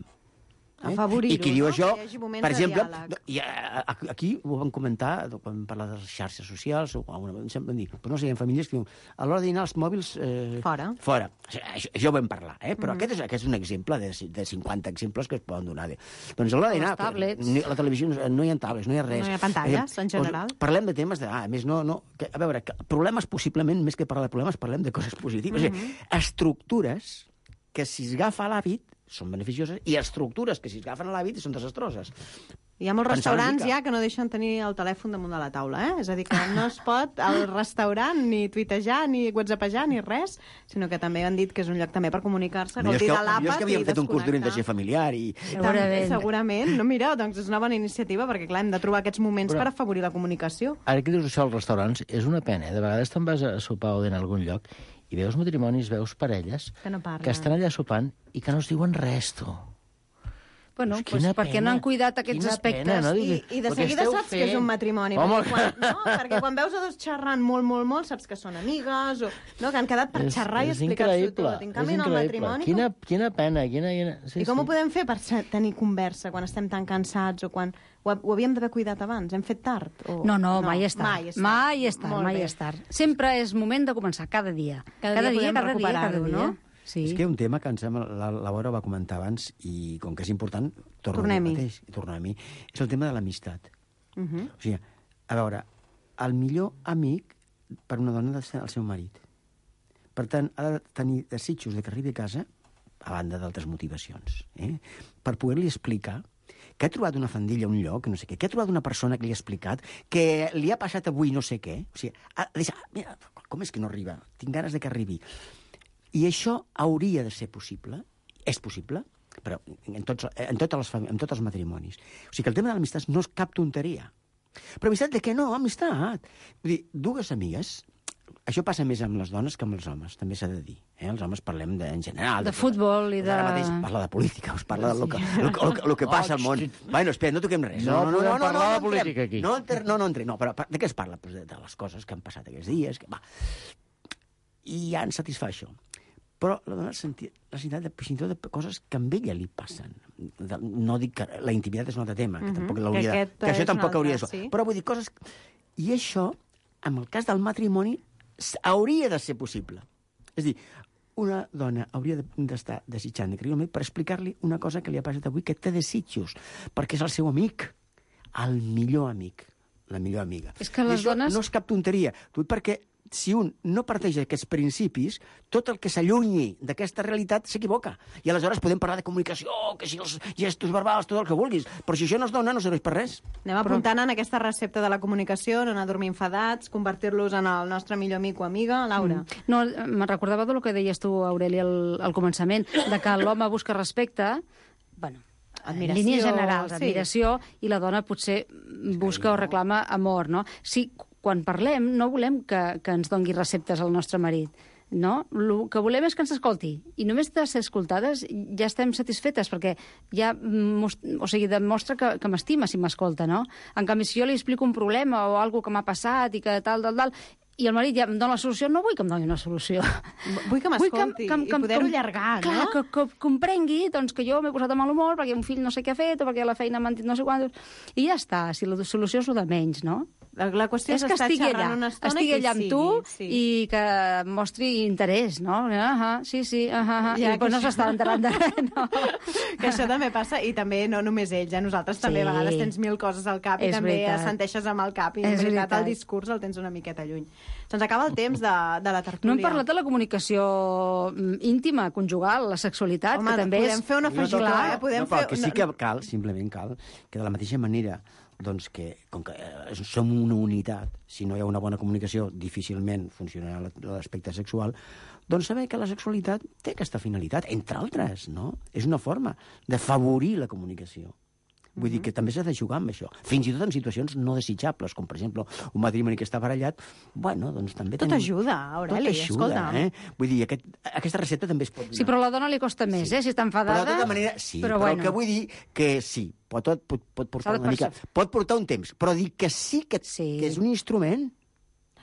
Eh? Afavorir-ho, I qui diu no? això, Que hi hagi moments per de exemple, diàleg. i, a, aquí ho vam comentar quan vam parlar de les xarxes socials, o alguna, sempre vam dir, però no sé, hi ha famílies que diuen, a l'hora de dinar els mòbils... Eh, Fora. Fora. O sigui, això, això ho vam parlar, eh? Però mm-hmm. aquest, és, aquest és un exemple de, de cinquanta exemples que es poden donar. De... Doncs a l'hora de dinar... Les tablets. Ni, la televisió, no hi ha tablets, no hi ha res. No hi ha pantalles, en general. Doncs, parlem de temes de... Ah, a més, no... no que, a veure, que problemes possiblement, més que parlar de problemes, parlem de coses positives. Mm-hmm. O sigui, estructures que si es agafa l'hàbit són beneficioses, i estructures que si es agafen a l'hàbit són desastroses. Hi ha molts Pensar una restaurants mica. ja que no deixen tenir el telèfon damunt de la taula, eh? És a dir, que no es pot al restaurant ni tuitejar, ni whatsappejar, ni res, sinó que també han dit que és un lloc també per comunicar-se, Millor és gaudir que, de l'àpat millor és que havíem i fet un curs desconnectar. d'orientació familiar i... També, segurament. No, mira, doncs és una bona iniciativa, perquè clar, hem de trobar aquests moments Però- per afavorir la comunicació. Ara que dius això als restaurants, és una pena, eh? De vegades te'n vas a sopar o dinar a algun lloc i veus matrimonis, veus parelles Que no parlen. que estan allà sopant i que no es diuen res, tu. Bueno, Pues pues, quina perquè pena, no han cuidat aquests quina aspectes. pena, no? I, I de Perquè seguida esteu saps que és fent- un matrimoni. Home, perquè, quan, no? perquè quan veus a dos xerrant molt, molt, molt, saps que són amigues, o no? que han quedat per xerrar i explicar-s'ho tot. En canvi, en el matrimoni... Quina, Com... quina pena, quina... quina... Sí, I com sí. ho podem fer per ser- tenir conversa quan estem tan cansats o quan... Ho, ho havíem d'haver cuidat abans? Hem fet tard? O... No, no, mai és tard. Mai és tard. Mai és tard, Molt mai bé. és tard. Sempre és moment de començar, cada dia. Cada dia podem cada dia, cada recuperar-ho, dia. no? Sí. És que hi ha un tema que em sembla, la, la Laura va comentar abans, i com que és important, torno Tornem-hi. a mateix, i tornem-hi, és el tema de l'amistat. Uh -huh. O sigui, a veure, el millor amic per una dona ha de ser el seu marit. Per tant, ha de tenir desitjos de que arribi a casa, a banda d'altres motivacions, eh? per poder-li explicar que ha trobat una fandilla a un lloc, no sé què, que ha trobat una persona que li ha explicat, que li ha passat avui no sé què. O sigui, ha de dir, ah, mira, com és que no arriba? Tinc ganes de que arribi. I això hauria de ser possible, és possible, però en tots, en totes les famílies, en tots els matrimonis. O sigui que el tema de l'amistat no és cap tonteria. Però amistat de què no? Amistat. Vull dir, dues amigues, això passa més amb les dones que amb els homes, també s'ha de dir. Eh? Els homes parlem de, en general... De futbol i de... Ara mateix parla de política, us parla del que, el, el, el que passa al món. Bueno, espera, no toquem res. No podem parlar de entrem. política aquí. No, enter, no, no entrem. No, però de què es parla? Pues de, de les coses que han passat aquests dies. Que, va. I ja ens satisfà això. Però la dona senti, la necessitat de, fins i tot de coses que a ella li passen. De, no dic que la intimitat és un altre tema, que, Mhm, tampoc que l'hauria de, aquest que això és un tampoc altre, hauria de ser. sí. Però vull dir, coses... I això, en el cas del matrimoni, s- hauria de ser possible. És a dir, una dona hauria de- d'estar desitjant de creure per explicar-li una cosa que li ha passat avui, que té desitjos, perquè és el seu amic, el millor amic, la millor amiga. És que I les això dones- no és cap tonteria. Tu, perquè si un no parteix d'aquests principis, tot el que s'allunyi d'aquesta realitat s'equivoca. I aleshores podem parlar de comunicació, que si els gestos verbals, tot el que vulguis, però si això no es dona, no serveix per res. Anem apuntant en aquesta recepta de la comunicació, no anar a dormir enfadats, convertir-los en el nostre millor amic o amiga. Laura. Mm. No, me recordava del que deies tu, Aureli, al, al començament, de que l'home busca respecte, bueno, admiració, en línies generals, sí. admiració, i la dona potser busca o reclama amor, no? Si quan parlem no volem que, que ens dongui receptes al nostre marit, no? El que volem és que ens escolti. I només de ser escoltades ja estem satisfetes, perquè ja o sigui, demostra que, que m'estima si m'escolta, no? En canvi, si jo li explico un problema o alguna que m'ha passat i que tal, tal, tal, i el marit ja em dona la solució, no vull que em doni una solució. Vull que m'escolti i poder-ho allargar, no? Clar, que, que comprengui doncs, que jo m'he posat de mal humor perquè un fill no sé què ha fet o perquè la feina m'ha dit no sé quant. I ja està, si la solució és el de menys, no? La qüestió és, és que estar estigui xerrant allà, una estona estigui allà amb sigui, tu sí. i que mostri interès, no? Ah, sí, sí, ah, ah, Ja, i després no això- s'està enterant de res, no? Que això també passa, i també no només ells, eh? Nosaltres també Sí. a vegades tens mil coses al cap i És també veritat. assenteixes amb el cap i És en veritat veritat. el discurs el tens una miqueta lluny. Se'ns acaba el temps de, de la tertúlia. No hem parlat de la comunicació mm, íntima, conjugal, la sexualitat, Home, que també podem és... fer una afegitó, eh? Podem no, però fer... el que sí que cal, simplement cal, que de la mateixa manera doncs que, com que eh, som una unitat, si no hi ha una bona comunicació, difícilment funcionarà l'aspecte sexual, doncs saber que la sexualitat té aquesta finalitat, entre altres, no? És una forma d'afavorir la comunicació. Vull dir que també s'ha de jugar amb això. Fins i tot en situacions no desitjables, com per exemple un matrimoni que està barallat, bueno, doncs també... Tot tenim... ajuda, Aureli, Tot ajuda, escolta'm. eh? Vull dir, aquest, aquesta recepta també es pot donar. Sí, però a la dona li costa més, eh? Si està enfadada... Però de tota manera, sí, però, però, bueno. el que vull dir que sí, pot, pot, pot portar S'ha de una mica... perce- Pot portar un temps, però dir que sí que, Sí. que és un instrument.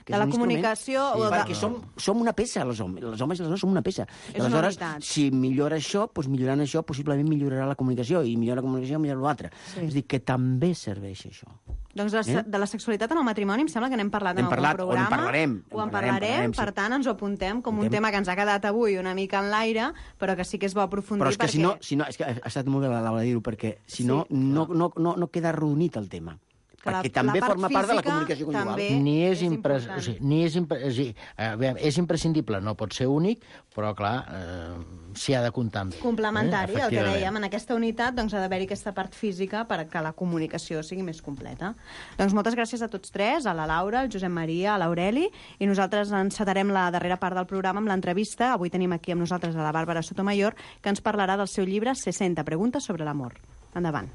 Que De és la un instrument. comunicació Sí, o de- perquè som, som una peça, els homes. Els homes i les dones som una peça. És una Aleshores, unitat. si millora això, doncs millorant això, possiblement millorarà la comunicació, i millora la comunicació, millora l'altre. Sí. És a dir, que també serveix això. Doncs de, Eh? de la sexualitat en el matrimoni em sembla que n'hem parlat N'hem en algun parlat, o en programa. parlarem, O en en parlarem, parlarem, per sí. tant ens ho apuntem com un Apuntem. tema que ens ha quedat avui una mica en l'aire, però que sí que és bo aprofundir Però és que perquè... si no, si no, és que ha estat molt bé la Laura dir-ho, perquè si Sí, no, no, no, no, no queda arrodonit el tema. Que la- Perquè també la part forma part de la física comunicació conjugal. també- Ni és, és impre... important. o sigui, ni és, impre... o sigui, eh, aviam, és imprescindible, no pot ser únic, però, clar, eh, s'hi ha de comptar amb. Complementari, Eh, el que efectivament. dèiem, en aquesta unitat doncs, ha d'haver-hi aquesta part física perquè la comunicació sigui més completa. Doncs moltes gràcies a tots tres, a la Laura, al Josep Maria, a l'Aureli, i nosaltres encetarem la darrera part del programa amb l'entrevista. Avui tenim aquí amb nosaltres a la Bàrbara Sotomayor, que ens parlarà del seu llibre seixanta preguntes sobre l'amor. Endavant.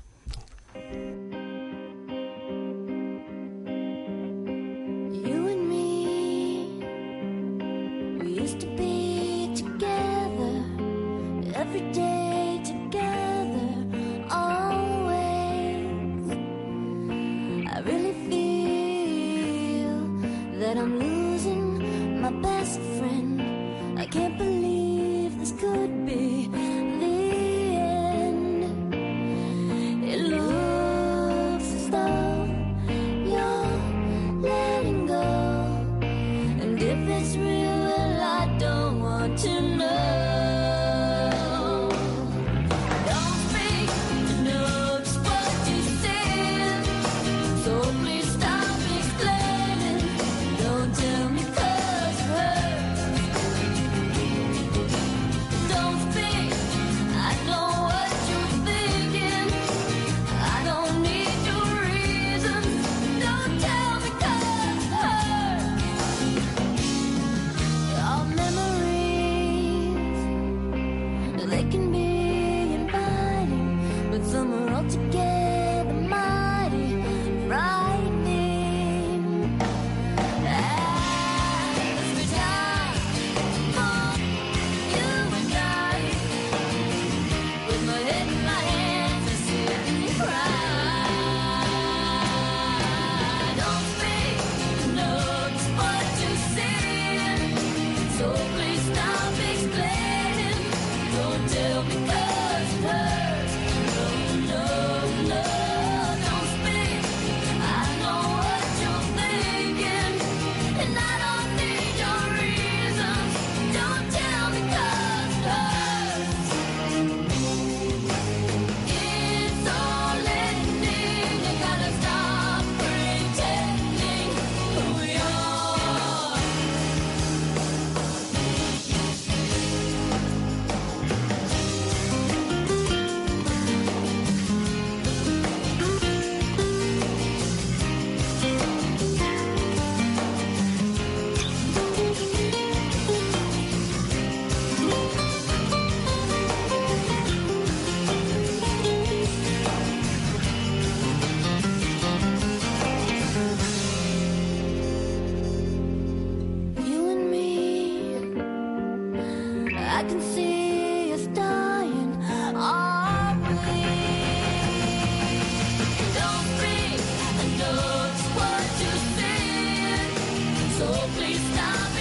You and me, we used to be together, every day together, always. I really feel that I'm losing my best friend. I can't believe this could be the end. It looks as though you're letting go, and if it's real, well, I don't want to know. Don't speak to know just what you said, so please stop explaining. Don't tell me 'cause it hurts. Don't speak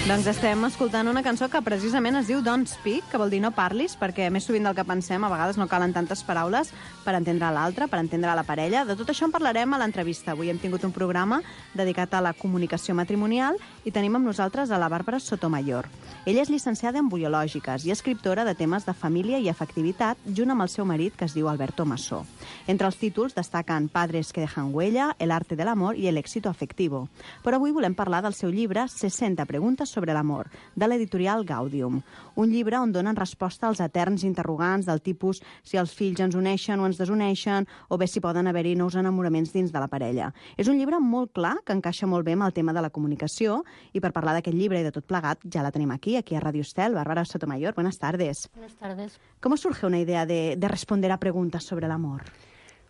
Doncs estem escoltant una cançó que precisament es diu Don't Speak, que vol dir no parlis, perquè més sovint del que pensem, a vegades no calen tantes paraules per entendre l'altre, per entendre la parella. De tot això en parlarem a l'entrevista. Avui hem tingut un programa dedicat a la comunicació matrimonial i tenim amb nosaltres a la Bàrbara Sotomayor. Ella és llicenciada en biològiques i escriptora de temes de família i afectivitat, junt amb el seu marit, que es diu Alberto Massó. Entre els títols destaquen Padres que dejan huella, El arte del amor i El éxito afectivo. Però avui volem parlar del seu llibre seixanta preguntes sobre l'amor, de l'editorial Gaudium. Un llibre on donen resposta als eterns interrogants del tipus si els fills ens uneixen o ens desuneixen, o bé si poden haver-hi nous enamoraments dins de la parella. És un llibre molt clar, que encaixa molt bé amb el tema de la comunicació, i per parlar d'aquest llibre i de tot plegat ja la tenim aquí, aquí a Radio Estel. Bárbara Sotomayor, buenas tardes. Buenas tardes. ¿Cómo surge una idea de, de responder a preguntas sobre el amor?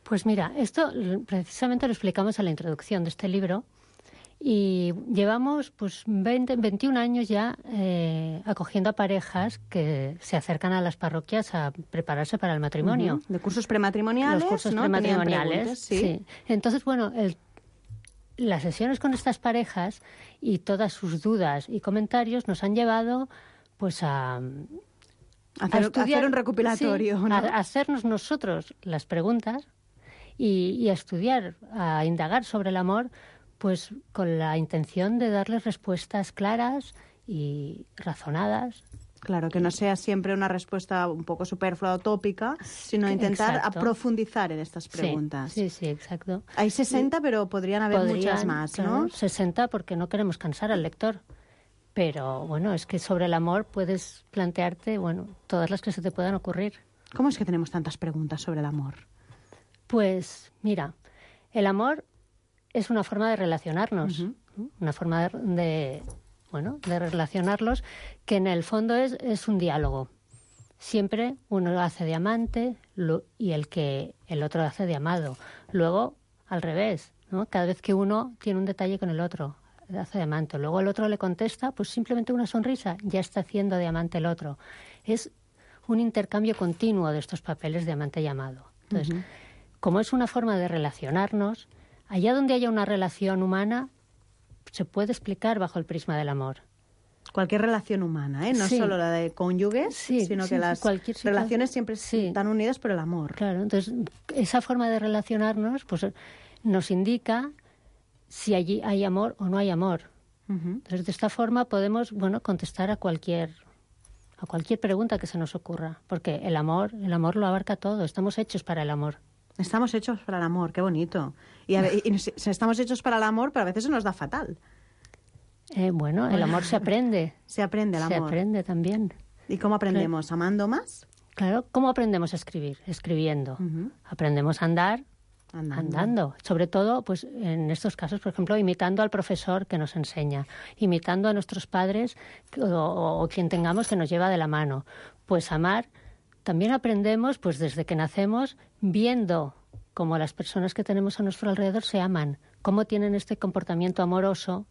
Pues mira, esto precisamente lo explicamos en la introducción de este libro. Y llevamos pues veinte, veintiún años ya eh, acogiendo a parejas que se acercan a las parroquias a prepararse para el matrimonio. Uh-huh. De cursos prematrimoniales, Los cursos ¿no? prematrimoniales, ¿sí? sí. Entonces, bueno, el, las sesiones con estas parejas y todas sus dudas y comentarios nos han llevado pues a... Hacer, a estudiar, hacer un recopilatorio, sí, ¿no? a, a hacernos nosotros las preguntas y, y a estudiar, a indagar sobre el amor, pues con la intención de darles respuestas claras y razonadas. Claro, que no sea siempre una respuesta un poco superflua o tópica, sino intentar Exacto. a profundizar en estas preguntas. Sí, sí, sí, exacto. Hay sesenta, Sí. pero podrían haber Podrían, muchas más, claro, ¿no? sesenta porque no queremos cansar al lector. Pero bueno, es que sobre el amor puedes plantearte, bueno, todas las que se te puedan ocurrir. ¿Cómo es que tenemos tantas preguntas sobre el amor? Pues mira, el amor es una forma de relacionarnos, Uh-huh. ¿no? Una forma de, de, bueno, de relacionarlos que en el fondo es, es un diálogo. Siempre uno lo hace de amante lo, y el que el otro hace de amado. Luego, al revés, ¿no? Cada vez que uno tiene un detalle con el otro, hace de amante. Luego el otro le contesta, pues simplemente una sonrisa, ya está haciendo de amante el otro. Es un intercambio continuo de estos papeles de amante y amado. Entonces, Uh-huh. como es una forma de relacionarnos, allá donde haya una relación humana, se puede explicar bajo el prisma del amor. Cualquier relación humana, ¿eh? No Sí. solo la de cónyuges, Sí, sino sí, que sí, las cualquier situación. relaciones siempre Sí. están unidas por el amor. Claro, entonces esa forma de relacionarnos pues nos indica si allí hay amor o no hay amor. Uh-huh. Entonces de esta forma podemos, bueno, contestar a cualquier a cualquier pregunta que se nos ocurra, porque el amor, el amor lo abarca todo, estamos hechos para el amor. Estamos hechos para el amor, qué bonito. Y, a ve- y nos- estamos hechos para el amor, pero a veces se nos da fatal. Eh, bueno, el amor se aprende. Se aprende el Se amor. aprende también. ¿Y cómo aprendemos? ¿Amando más? Claro, ¿cómo aprendemos a escribir? Escribiendo. Ujú. Aprendemos a andar Andando. andando. Sobre todo, pues en estos casos, por ejemplo, imitando al profesor que nos enseña, imitando a nuestros padres o, o- o quien tengamos que nos lleva de la mano. Pues amar, también aprendemos, pues desde que nacemos, viendo cómo las personas que tenemos a nuestro alrededor se aman, cómo tienen este comportamiento amoroso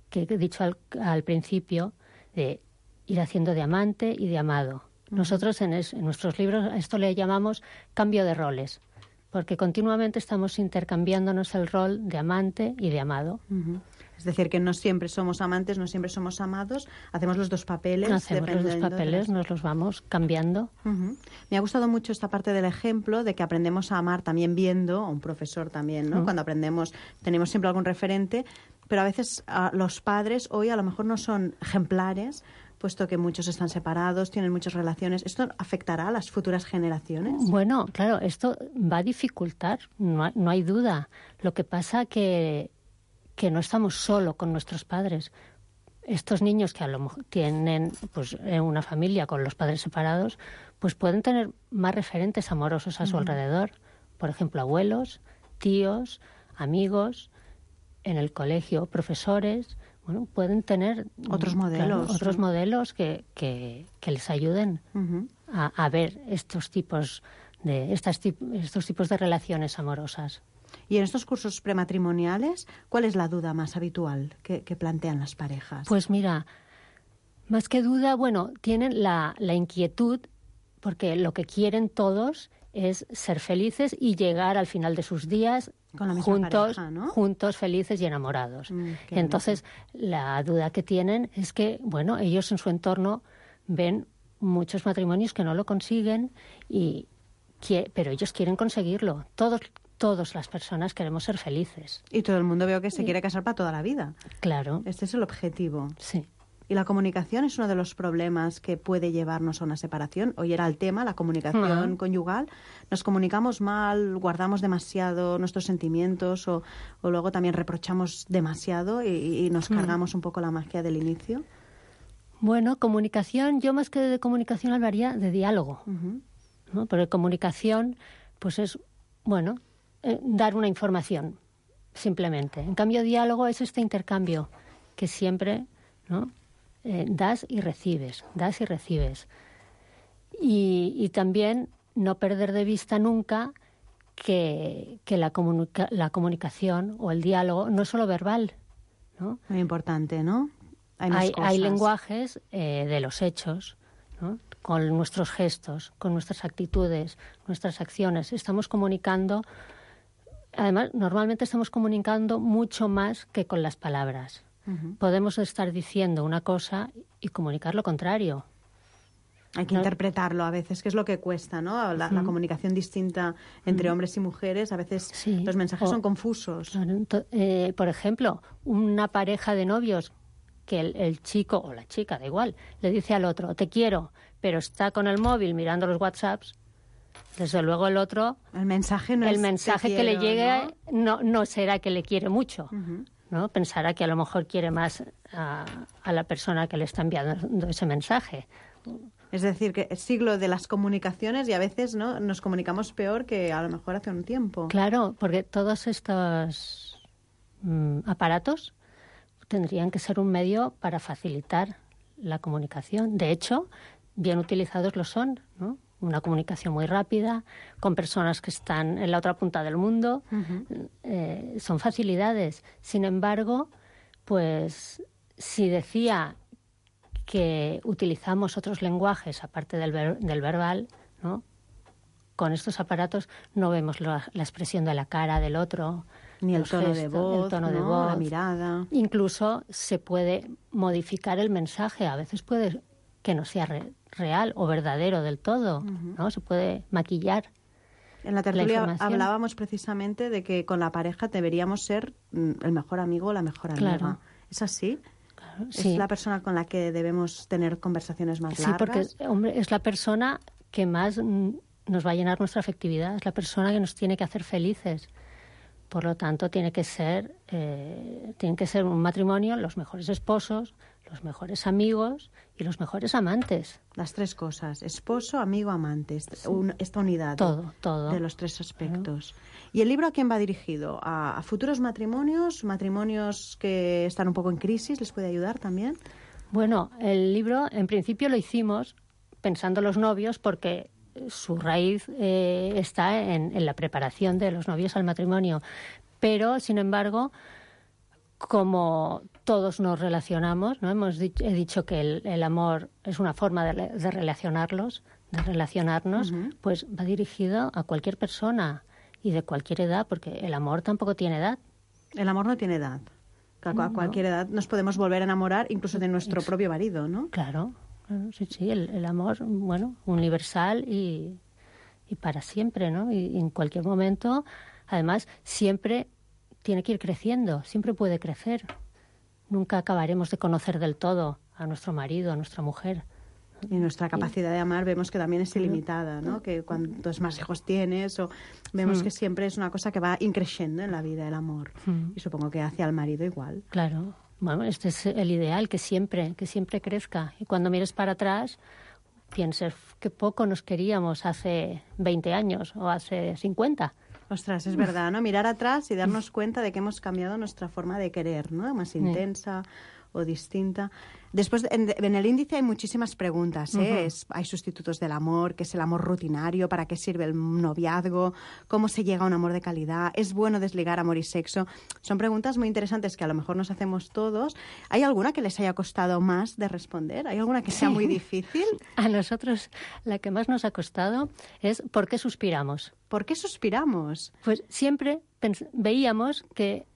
que he dicho al, al principio, de ir haciendo de amante y de amado. Nosotros en, es- en nuestros libros a esto le llamamos cambio de roles, porque continuamente estamos intercambiándonos el rol de amante y de amado. Ujú. Es decir, que no siempre somos amantes, no siempre somos amados, hacemos los dos papeles. Hacemos los dos dependiendo de papeles, las- nos los vamos cambiando. Ujú. Me ha gustado mucho esta parte del ejemplo de que aprendemos a amar también viendo, a un profesor también, ¿no? Mm. Cuando aprendemos, tenemos siempre algún referente, pero a veces ah, los padres hoy a lo mejor no son ejemplares, puesto que muchos están separados, tienen muchas relaciones. ¿Esto afectará a las futuras generaciones? Bueno, claro, esto va a dificultar, no, hay- no hay duda. Lo que pasa que que no estamos solo con nuestros padres. Estos niños que a lo mejor tienen pues eh, una familia con los padres separados, pues pueden tener más referentes amorosos a su alrededor. Por ejemplo, abuelos, tíos, amigos, en el colegio, profesores. Bueno, pueden tener Otros mm, claro, modelos, otros ¿no? modelos que, que, que les ayuden Ujú. a, a ver estos tipos de estas tip- estos tipos de relaciones amorosas. Y en estos cursos prematrimoniales, ¿cuál es la duda más habitual que, que plantean las parejas? Pues mira, más que duda, bueno, tienen la, la inquietud, porque lo que quieren todos es ser felices y llegar al final de sus días Con la misma juntos, pareja, ¿no? juntos, felices y enamorados. Mm, qué Entonces, la duda que tienen es que, bueno, ellos en su entorno ven muchos matrimonios que no lo consiguen, y que, pero ellos quieren conseguirlo. Todos, todas las personas queremos ser felices. Y todo el mundo veo que se quiere casar para toda la vida. Claro. Este es el objetivo. Sí. Y la comunicación es uno de los problemas que puede llevarnos a una separación. Hoy era el tema, la comunicación Ujú. conyugal. Nos comunicamos mal, guardamos demasiado nuestros sentimientos o, o luego también reprochamos demasiado y, y nos Mm. cargamos un poco la magia del inicio. Bueno, comunicación, yo más que de comunicación hablaría de diálogo, Ujú. ¿no? Porque comunicación, pues es, bueno, eh, dar una información, simplemente. En cambio, diálogo es este intercambio que siempre, ¿no? Eh, das y recibes, das y recibes. Y, y también no perder de vista nunca que, que la, comunica- la comunicación o el diálogo no es solo verbal, ¿no? Muy importante, ¿no? Hay más Hay, cosas. hay lenguajes eh, de los hechos, ¿no? Con nuestros gestos, con nuestras actitudes, nuestras acciones. Estamos comunicando, además, normalmente estamos comunicando mucho más que con las palabras. Ujú. Podemos estar diciendo una cosa y comunicar lo contrario. Hay que No. interpretarlo a veces, que es lo que cuesta, ¿no? La, la Ujú. comunicación distinta entre Ujú. hombres y mujeres, a veces Sí. los mensajes O- son confusos. Claro, ento- eh, por ejemplo, una pareja de novios que el, el chico o la chica, da igual, le dice al otro, te quiero, pero está con el móvil mirando los WhatsApps, desde luego el otro, El mensaje no el es te mensaje que le quiero, llegue no, no será que le quiere mucho, ¿no? Ujú. ¿no? Pensará que a lo mejor quiere más a, a la persona que le está enviando ese mensaje. Es decir, que es siglo de las comunicaciones y a veces no nos comunicamos peor que a lo mejor hace un tiempo. Claro, porque todos estos mm, aparatos tendrían que ser un medio para facilitar la comunicación. De hecho, bien utilizados lo son, ¿no? Una comunicación muy rápida, con personas que están en la otra punta del mundo. Ujú. Eh, son facilidades. Sin embargo, pues si decía que utilizamos otros lenguajes aparte del, ver- del verbal, ¿no? Con estos aparatos no vemos la, la expresión de la cara del otro, Ni el los tono de gestos, voz, el tono de ¿no? voz. La mirada. Incluso se puede modificar el mensaje. A veces puede que no sea re- real o verdadero del todo, ¿no? Se puede maquillar. En la tertulia información. hablábamos precisamente de que con la pareja deberíamos ser mm, el mejor amigo o la mejor amiga. Claro. ¿Es así? Claro, ¿Es sí. la persona con la que debemos tener conversaciones más Sí, largas? porque hombre, es la persona que más mm, nos va a llenar nuestra afectividad, es la persona que nos tiene que hacer felices. Por lo tanto, tiene que ser, eh, tiene que ser un matrimonio, los mejores esposos, los mejores amigos y los mejores amantes. Las tres cosas, esposo, amigo, amante, est- un- esta unidad Todo, todo. de los tres aspectos. ¿Y el libro a quién va dirigido? ¿A, a futuros matrimonios? ¿Matrimonios que están un poco en crisis? ¿Les puede ayudar también? Bueno, el libro en principio lo hicimos pensando en los novios porque su raíz eh, está en, en la preparación de los novios al matrimonio. Pero, sin embargo, como todos nos relacionamos, ¿no? Hemos dicho, he dicho que el, el amor es una forma de, de relacionarlos, de relacionarnos, Ujú. pues va dirigido a cualquier persona y de cualquier edad, porque el amor tampoco tiene edad. El amor no tiene edad. A, a No. cualquier edad nos podemos volver a enamorar incluso de nuestro propio marido, ¿no? Claro, claro, sí, sí, el, el amor, bueno, universal y, y para siempre, ¿no? Y, y en cualquier momento, además, siempre tiene que ir creciendo, siempre puede crecer. Nunca acabaremos de conocer del todo a nuestro marido, a nuestra mujer. Y nuestra capacidad de amar vemos que también es ilimitada, ¿no? Que cuantos más hijos tienes, o vemos Mm. que siempre es una cosa que va increciendo en la vida, el amor. Mm. Y supongo que hacia el marido igual. Claro, bueno, este es el ideal, que siempre, que siempre crezca. Y cuando mires para atrás, pienses que poco nos queríamos hace veinte años o hace cincuenta. Ostras, es verdad, ¿no? Mirar atrás y darnos cuenta de que hemos cambiado nuestra forma de querer, ¿no? Más intensa o distinta. Después, en, en el índice hay muchísimas preguntas, ¿eh? Ujú. Es- hay sustitutos del amor, ¿qué es el amor rutinario? ¿Para qué sirve el noviazgo? ¿Cómo se llega a un amor de calidad? ¿Es bueno desligar amor y sexo? Son preguntas muy interesantes que a lo mejor nos hacemos todos. ¿Hay alguna que les haya costado más de responder? ¿Hay alguna que sea muy difícil? A nosotros la que más nos ha costado es ¿por qué suspiramos? ¿Por qué suspiramos? Pues siempre pens- veíamos que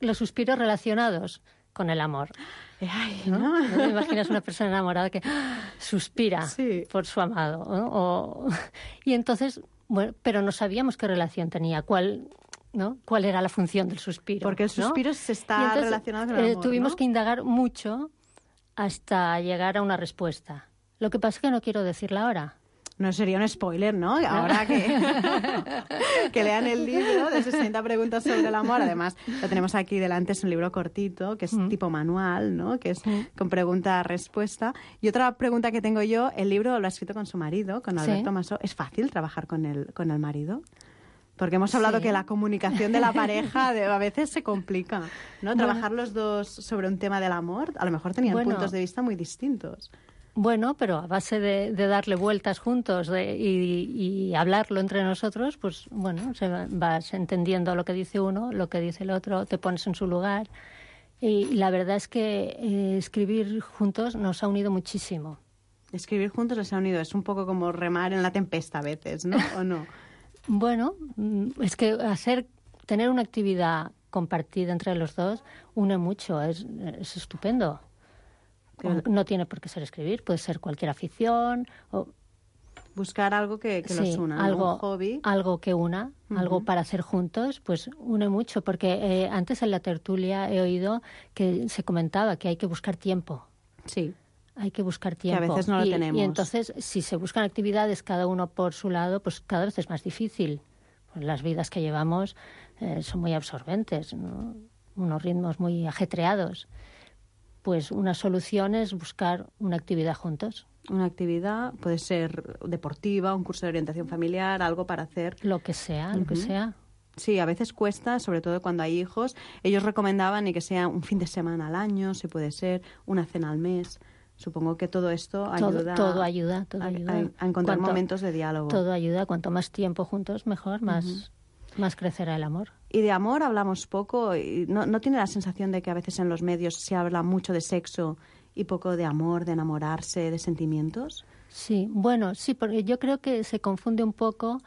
los suspiros relacionados con el amor. Ay, ¿no? ¿no? ¿No te imaginas una persona enamorada que ¡ah! suspira Sí. por su amado? ¿no? O- Y entonces, bueno, pero no sabíamos qué relación tenía, cuál, ¿no? cuál era la función del suspiro. Porque el ¿no? suspiro se está Y entonces, relacionado con el eh, amor, Tuvimos ¿no? que indagar mucho hasta llegar a una respuesta. Lo que pasa es que no quiero decirla ahora. No sería un spoiler, ¿no? Ahora que, que lean el libro de sesenta preguntas sobre el amor. Además, lo tenemos aquí delante, es un libro cortito, que es Mm. tipo manual, ¿no? Que es con pregunta-respuesta. Y otra pregunta que tengo yo, el libro lo ha escrito con su marido, con Alberto Sí. Masó. ¿Es fácil trabajar con el, con el marido? Porque hemos hablado Sí. que la comunicación de la pareja de- a veces se complica, ¿no? Bueno. Trabajar los dos sobre un tema del amor, a lo mejor tenían Bueno. puntos de vista muy distintos. Bueno, pero a base de, de darle vueltas juntos de- y, y hablarlo entre nosotros, pues bueno, se va- vas entendiendo lo que dice uno, lo que dice el otro, te pones en su lugar. Y la verdad es que eh, escribir juntos nos ha unido muchísimo. Escribir juntos les ha unido. Es un poco como remar en la tempesta a veces, ¿no? ¿O no? Bueno, mm, es que hacer, tener una actividad compartida entre los dos une mucho, es, es estupendo. Claro. No tiene por qué ser escribir, puede ser cualquier afición o Buscar algo que, que los sí, una, ¿no? algo, Un hobby. algo que una, algo para hacer juntos, pues une mucho, porque eh, antes en la tertulia he oído que se comentaba que hay que buscar tiempo. Sí. Hay que buscar a tiempo. veces no lo y, tenemos. Y entonces, si se buscan actividades cada uno por su lado, pues cada vez es más difícil. Pues las vidas que llevamos eh, son muy absorbentes, ¿no? Unos ritmos muy ajetreados. Pues una solución es buscar una actividad juntos. Una actividad puede ser deportiva, un curso de orientación familiar, algo para hacer. Lo que sea, lo que Ujú. sea. Sí, a veces cuesta, sobre todo cuando hay hijos. Ellos recomendaban y que sea un fin de semana al año, si puede ser, una cena al mes. Supongo que todo esto Todo, ayuda, todo ayuda, todo a, ayuda. a- a encontrar Cuanto- momentos de diálogo. Todo ayuda. Cuanto más tiempo juntos, mejor, más, más crecerá el amor. Y de amor hablamos poco. Y no, ¿No tiene la sensación de que a veces en los medios se habla mucho de sexo y poco de amor, de enamorarse, de sentimientos? Sí, bueno, sí, porque yo creo que se confunde un poco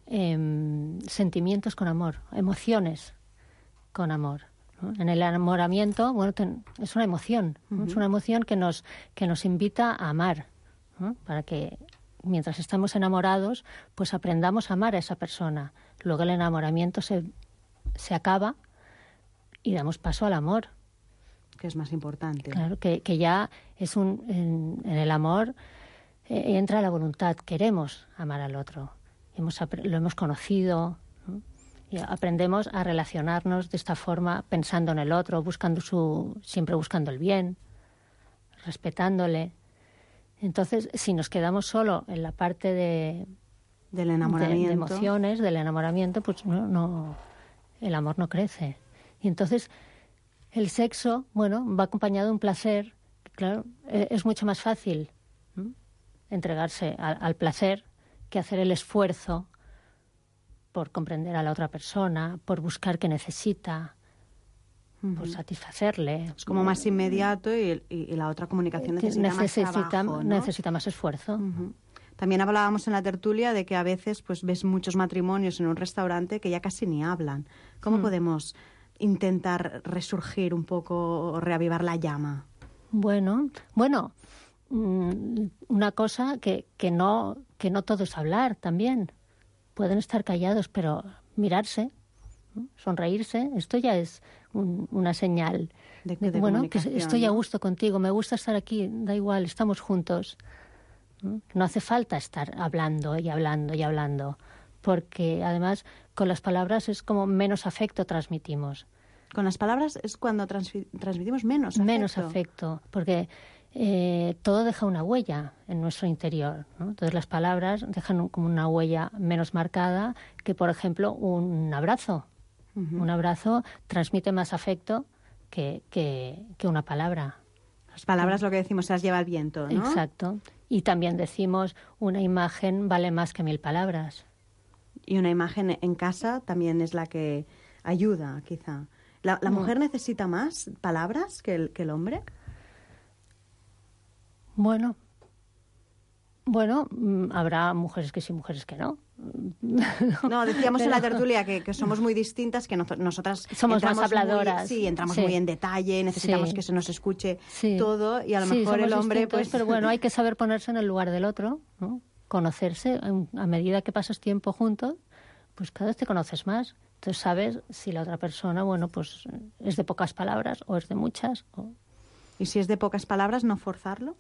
em, sentimientos con amor, emociones con amor, ¿no? En el enamoramiento, bueno, ten- es una emoción, ¿no? Es una emoción que nos, que nos invita a amar, ¿no? Para que mientras estamos enamorados, pues aprendamos a amar a esa persona. Luego el enamoramiento se, se acaba y damos paso al amor. Que es más importante. Claro, que, que ya es un... En, en el amor eh, entra la voluntad, queremos amar al otro. Hemos, apre- lo hemos conocido, ¿no? Y aprendemos a relacionarnos de esta forma, pensando en el otro, buscando su, siempre buscando el bien, respetándole. Entonces, si nos quedamos solo en la parte de, Del de, enamoramiento. de emociones, del enamoramiento, pues no, no, el amor no crece. Y entonces el sexo, bueno, va acompañado de un placer. Claro, e- es mucho más fácil, ¿no? entregarse a- al placer que hacer el esfuerzo por comprender a la otra persona, por buscar qué necesita, por satisfacerle. Es como más inmediato y, y- y la otra comunicación Que necesita, necesita, más trabajo, ¿no? necesita más esfuerzo. Ujú. También hablábamos en la tertulia de que a veces pues ves muchos matrimonios en un restaurante que ya casi ni hablan. ¿Cómo Mm. podemos intentar resurgir un poco o reavivar la llama? Bueno, bueno, mm, una cosa que, que no que no todo es hablar también. Pueden estar callados, pero mirarse, ¿no? Sonreírse, esto ya es un- una señal De- de, de bueno, que comunicación, estoy a ¿no? gusto contigo, me gusta estar aquí, da igual, estamos juntos. ¿No? No hace falta estar hablando y hablando y hablando, porque además con las palabras es como menos afecto transmitimos. Con las palabras es cuando transfi- transmitimos menos afecto. Menos afecto, porque eh, todo deja una huella en nuestro interior, ¿no? Entonces las palabras dejan un- como una huella menos marcada que, por ejemplo, un abrazo. Un abrazo transmite más afecto que, que, que una palabra. Las palabras, lo que decimos, se las lleva el viento, ¿no? Exacto. Y también decimos, una imagen vale más que mil palabras. Y una imagen en casa también es la que ayuda, quizá. ¿La, la No. mujer necesita más palabras que el, que el hombre? Bueno, bueno, mm, habrá mujeres que sí, mujeres que no. No, decíamos en la Pero- tertulia que, que somos muy distintas, que nozo- nosotras Somos más entramos muy- habladoras. sí, entramos Sí. muy en detalle, necesitamos Sí. que se nos escuche Sí. todo, y a lo Sí, mejor el somos hombre, distintos, pues... Pero bueno, hay que saber ponerse en el lugar del otro, ¿no? Conocerse. en- A medida que pasas tiempo juntos, pues cada vez te conoces más. Entonces sabes si la otra persona, bueno, pues es de pocas palabras o es de muchas. o- Y si es de pocas palabras, no forzarlo.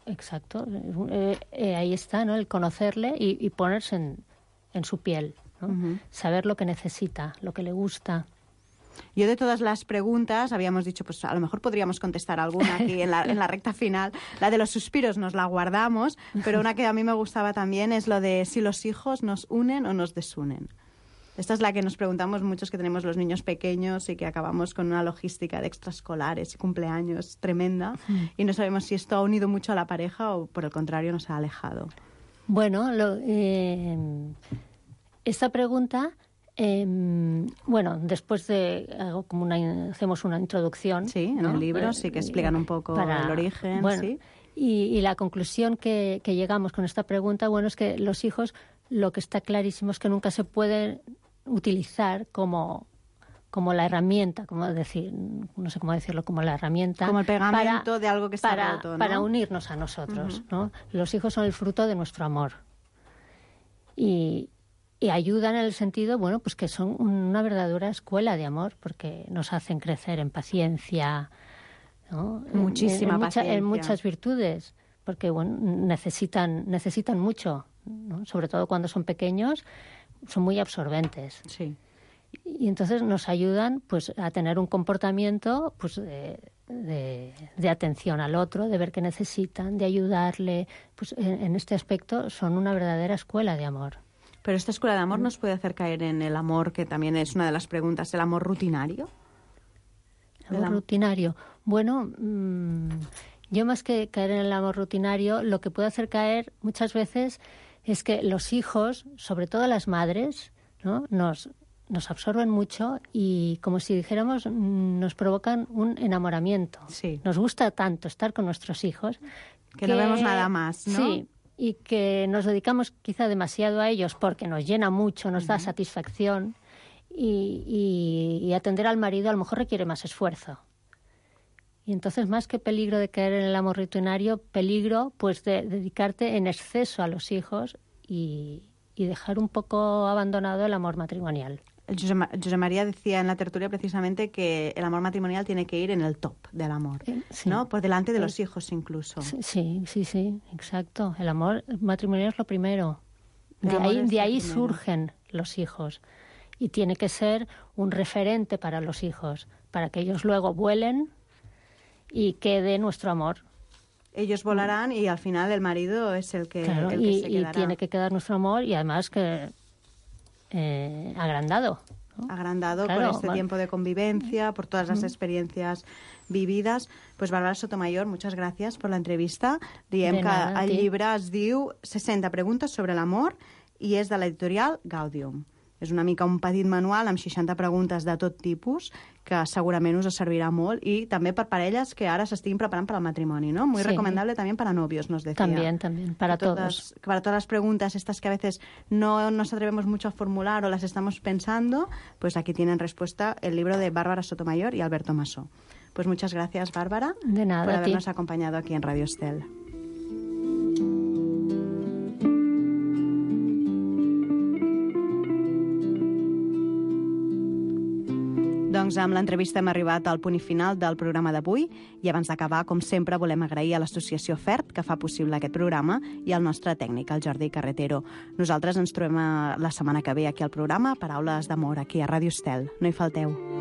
Exacto. Eh, eh, ahí está, ¿no? El conocerle y, y ponerse en, en su piel, ¿no? Ujú. Saber lo que necesita, lo que le gusta. Yo de todas las preguntas habíamos dicho, pues a lo mejor podríamos contestar alguna aquí en la, en la recta final. La de los suspiros nos la guardamos, pero una que a mí me gustaba también es lo de si los hijos nos unen o nos desunen. Esta es la que nos preguntamos muchos que tenemos los niños pequeños y que acabamos con una logística de extraescolares y cumpleaños tremenda y no sabemos si esto ha unido mucho a la pareja o por el contrario nos ha alejado. Bueno, lo- eh, esta pregunta, eh, bueno, después de hago como una, hacemos una introducción. Sí, en ¿no? el libro Eh, sí que explican un poco para- el origen, bueno, sí. Y, y la conclusión que, que llegamos con esta pregunta, bueno, es que los hijos, lo que está clarísimo es que nunca se pueden utilizar como como la herramienta, como decir, no sé cómo decirlo, como la herramienta Como el pegamento para- de algo que está para, roto, ¿no? para unirnos a nosotros, ¿no? Los hijos son el fruto de nuestro amor y, y ayudan en el sentido, bueno, pues que son una verdadera escuela de amor porque nos hacen crecer en paciencia, ¿no? En- Muchísima en, en mucha- paciencia. en muchas virtudes, porque bueno, necesitan necesitan mucho, ¿no? Sobre todo cuando son pequeños, son muy absorbentes. Sí. Y entonces nos ayudan pues a tener un comportamiento pues de, de- de atención al otro, de ver qué necesitan, de ayudarle. Pues en, en este aspecto son una verdadera escuela de amor. Pero esta escuela de amor nos puede hacer caer en el amor, que también es una de las preguntas, el amor rutinario. El El amor am- rutinario. Bueno, mm, yo más que caer en el amor rutinario, lo que puede hacer caer muchas veces es que los hijos, sobre todo las madres, ¿no? nos, nos absorben mucho y, como si dijéramos, mm, nos provocan un enamoramiento. Sí. Nos gusta tanto estar con nuestros hijos Que no vemos nada más, ¿no? Sí, y que nos dedicamos quizá demasiado a ellos porque nos llena mucho, nos da satisfacción y, y- y atender al marido a lo mejor requiere más esfuerzo. Y entonces, más que peligro de caer en el amor rutinario, peligro pues de dedicarte en exceso a los hijos y, y dejar un poco abandonado el amor matrimonial. José, Ma- José María decía en la tertulia precisamente que el amor matrimonial tiene que ir en el top del amor, Eh, sí. ¿no? Por delante de Pero- los hijos incluso. Sí, sí, sí, sí, exacto. El amor matrimonial es lo primero. El De amor ahí, es de lo ahí primero. surgen los hijos. Y tiene que ser un referente para los hijos, para que ellos luego vuelen y quede nuestro amor. Ellos volarán y al final el marido es el que, Claro, el que y, se y quedará. tiene que quedar nuestro amor y además que eh, agrandado. ¿no? agrandado Claro, por este bueno. tiempo de convivencia, por todas las experiencias vividas. Pues Bàrbara Sotomayor, muchas gràcies per l'entrevista. Diem De que nada, a el ti. llibre es diu seixanta preguntes sobre l'amor i és de l'editorial Gaudium. És una mica un petit manual amb seixanta preguntes de tot tipus que segurament us servirà molt i també per parelles que ara s'estiguin preparant per al matrimoni, ¿no? Muy Sí. recomendable también para novios, nos decía. También, también, para Que todas- todos. que para todas las preguntas estas que a veces no nos atrevemos mucho a formular o las estamos pensando, pues aquí tienen respuesta el libro de Bàrbara Sotomayor y Alberto Masó. Pues muchas gracias, Bárbara, De nada, por a ti. habernos acompañado aquí en Radio Estel. Doncs amb l'entrevista hem arribat al punt i final del programa d'avui i abans d'acabar, com sempre, volem agrair a l'associació FERT que fa possible aquest programa i al nostre tècnic, el Jordi Carretero. Nosaltres ens trobem eh, la setmana que ve aquí al programa Paraules d'amor, aquí a Ràdio Estel. No hi falteu.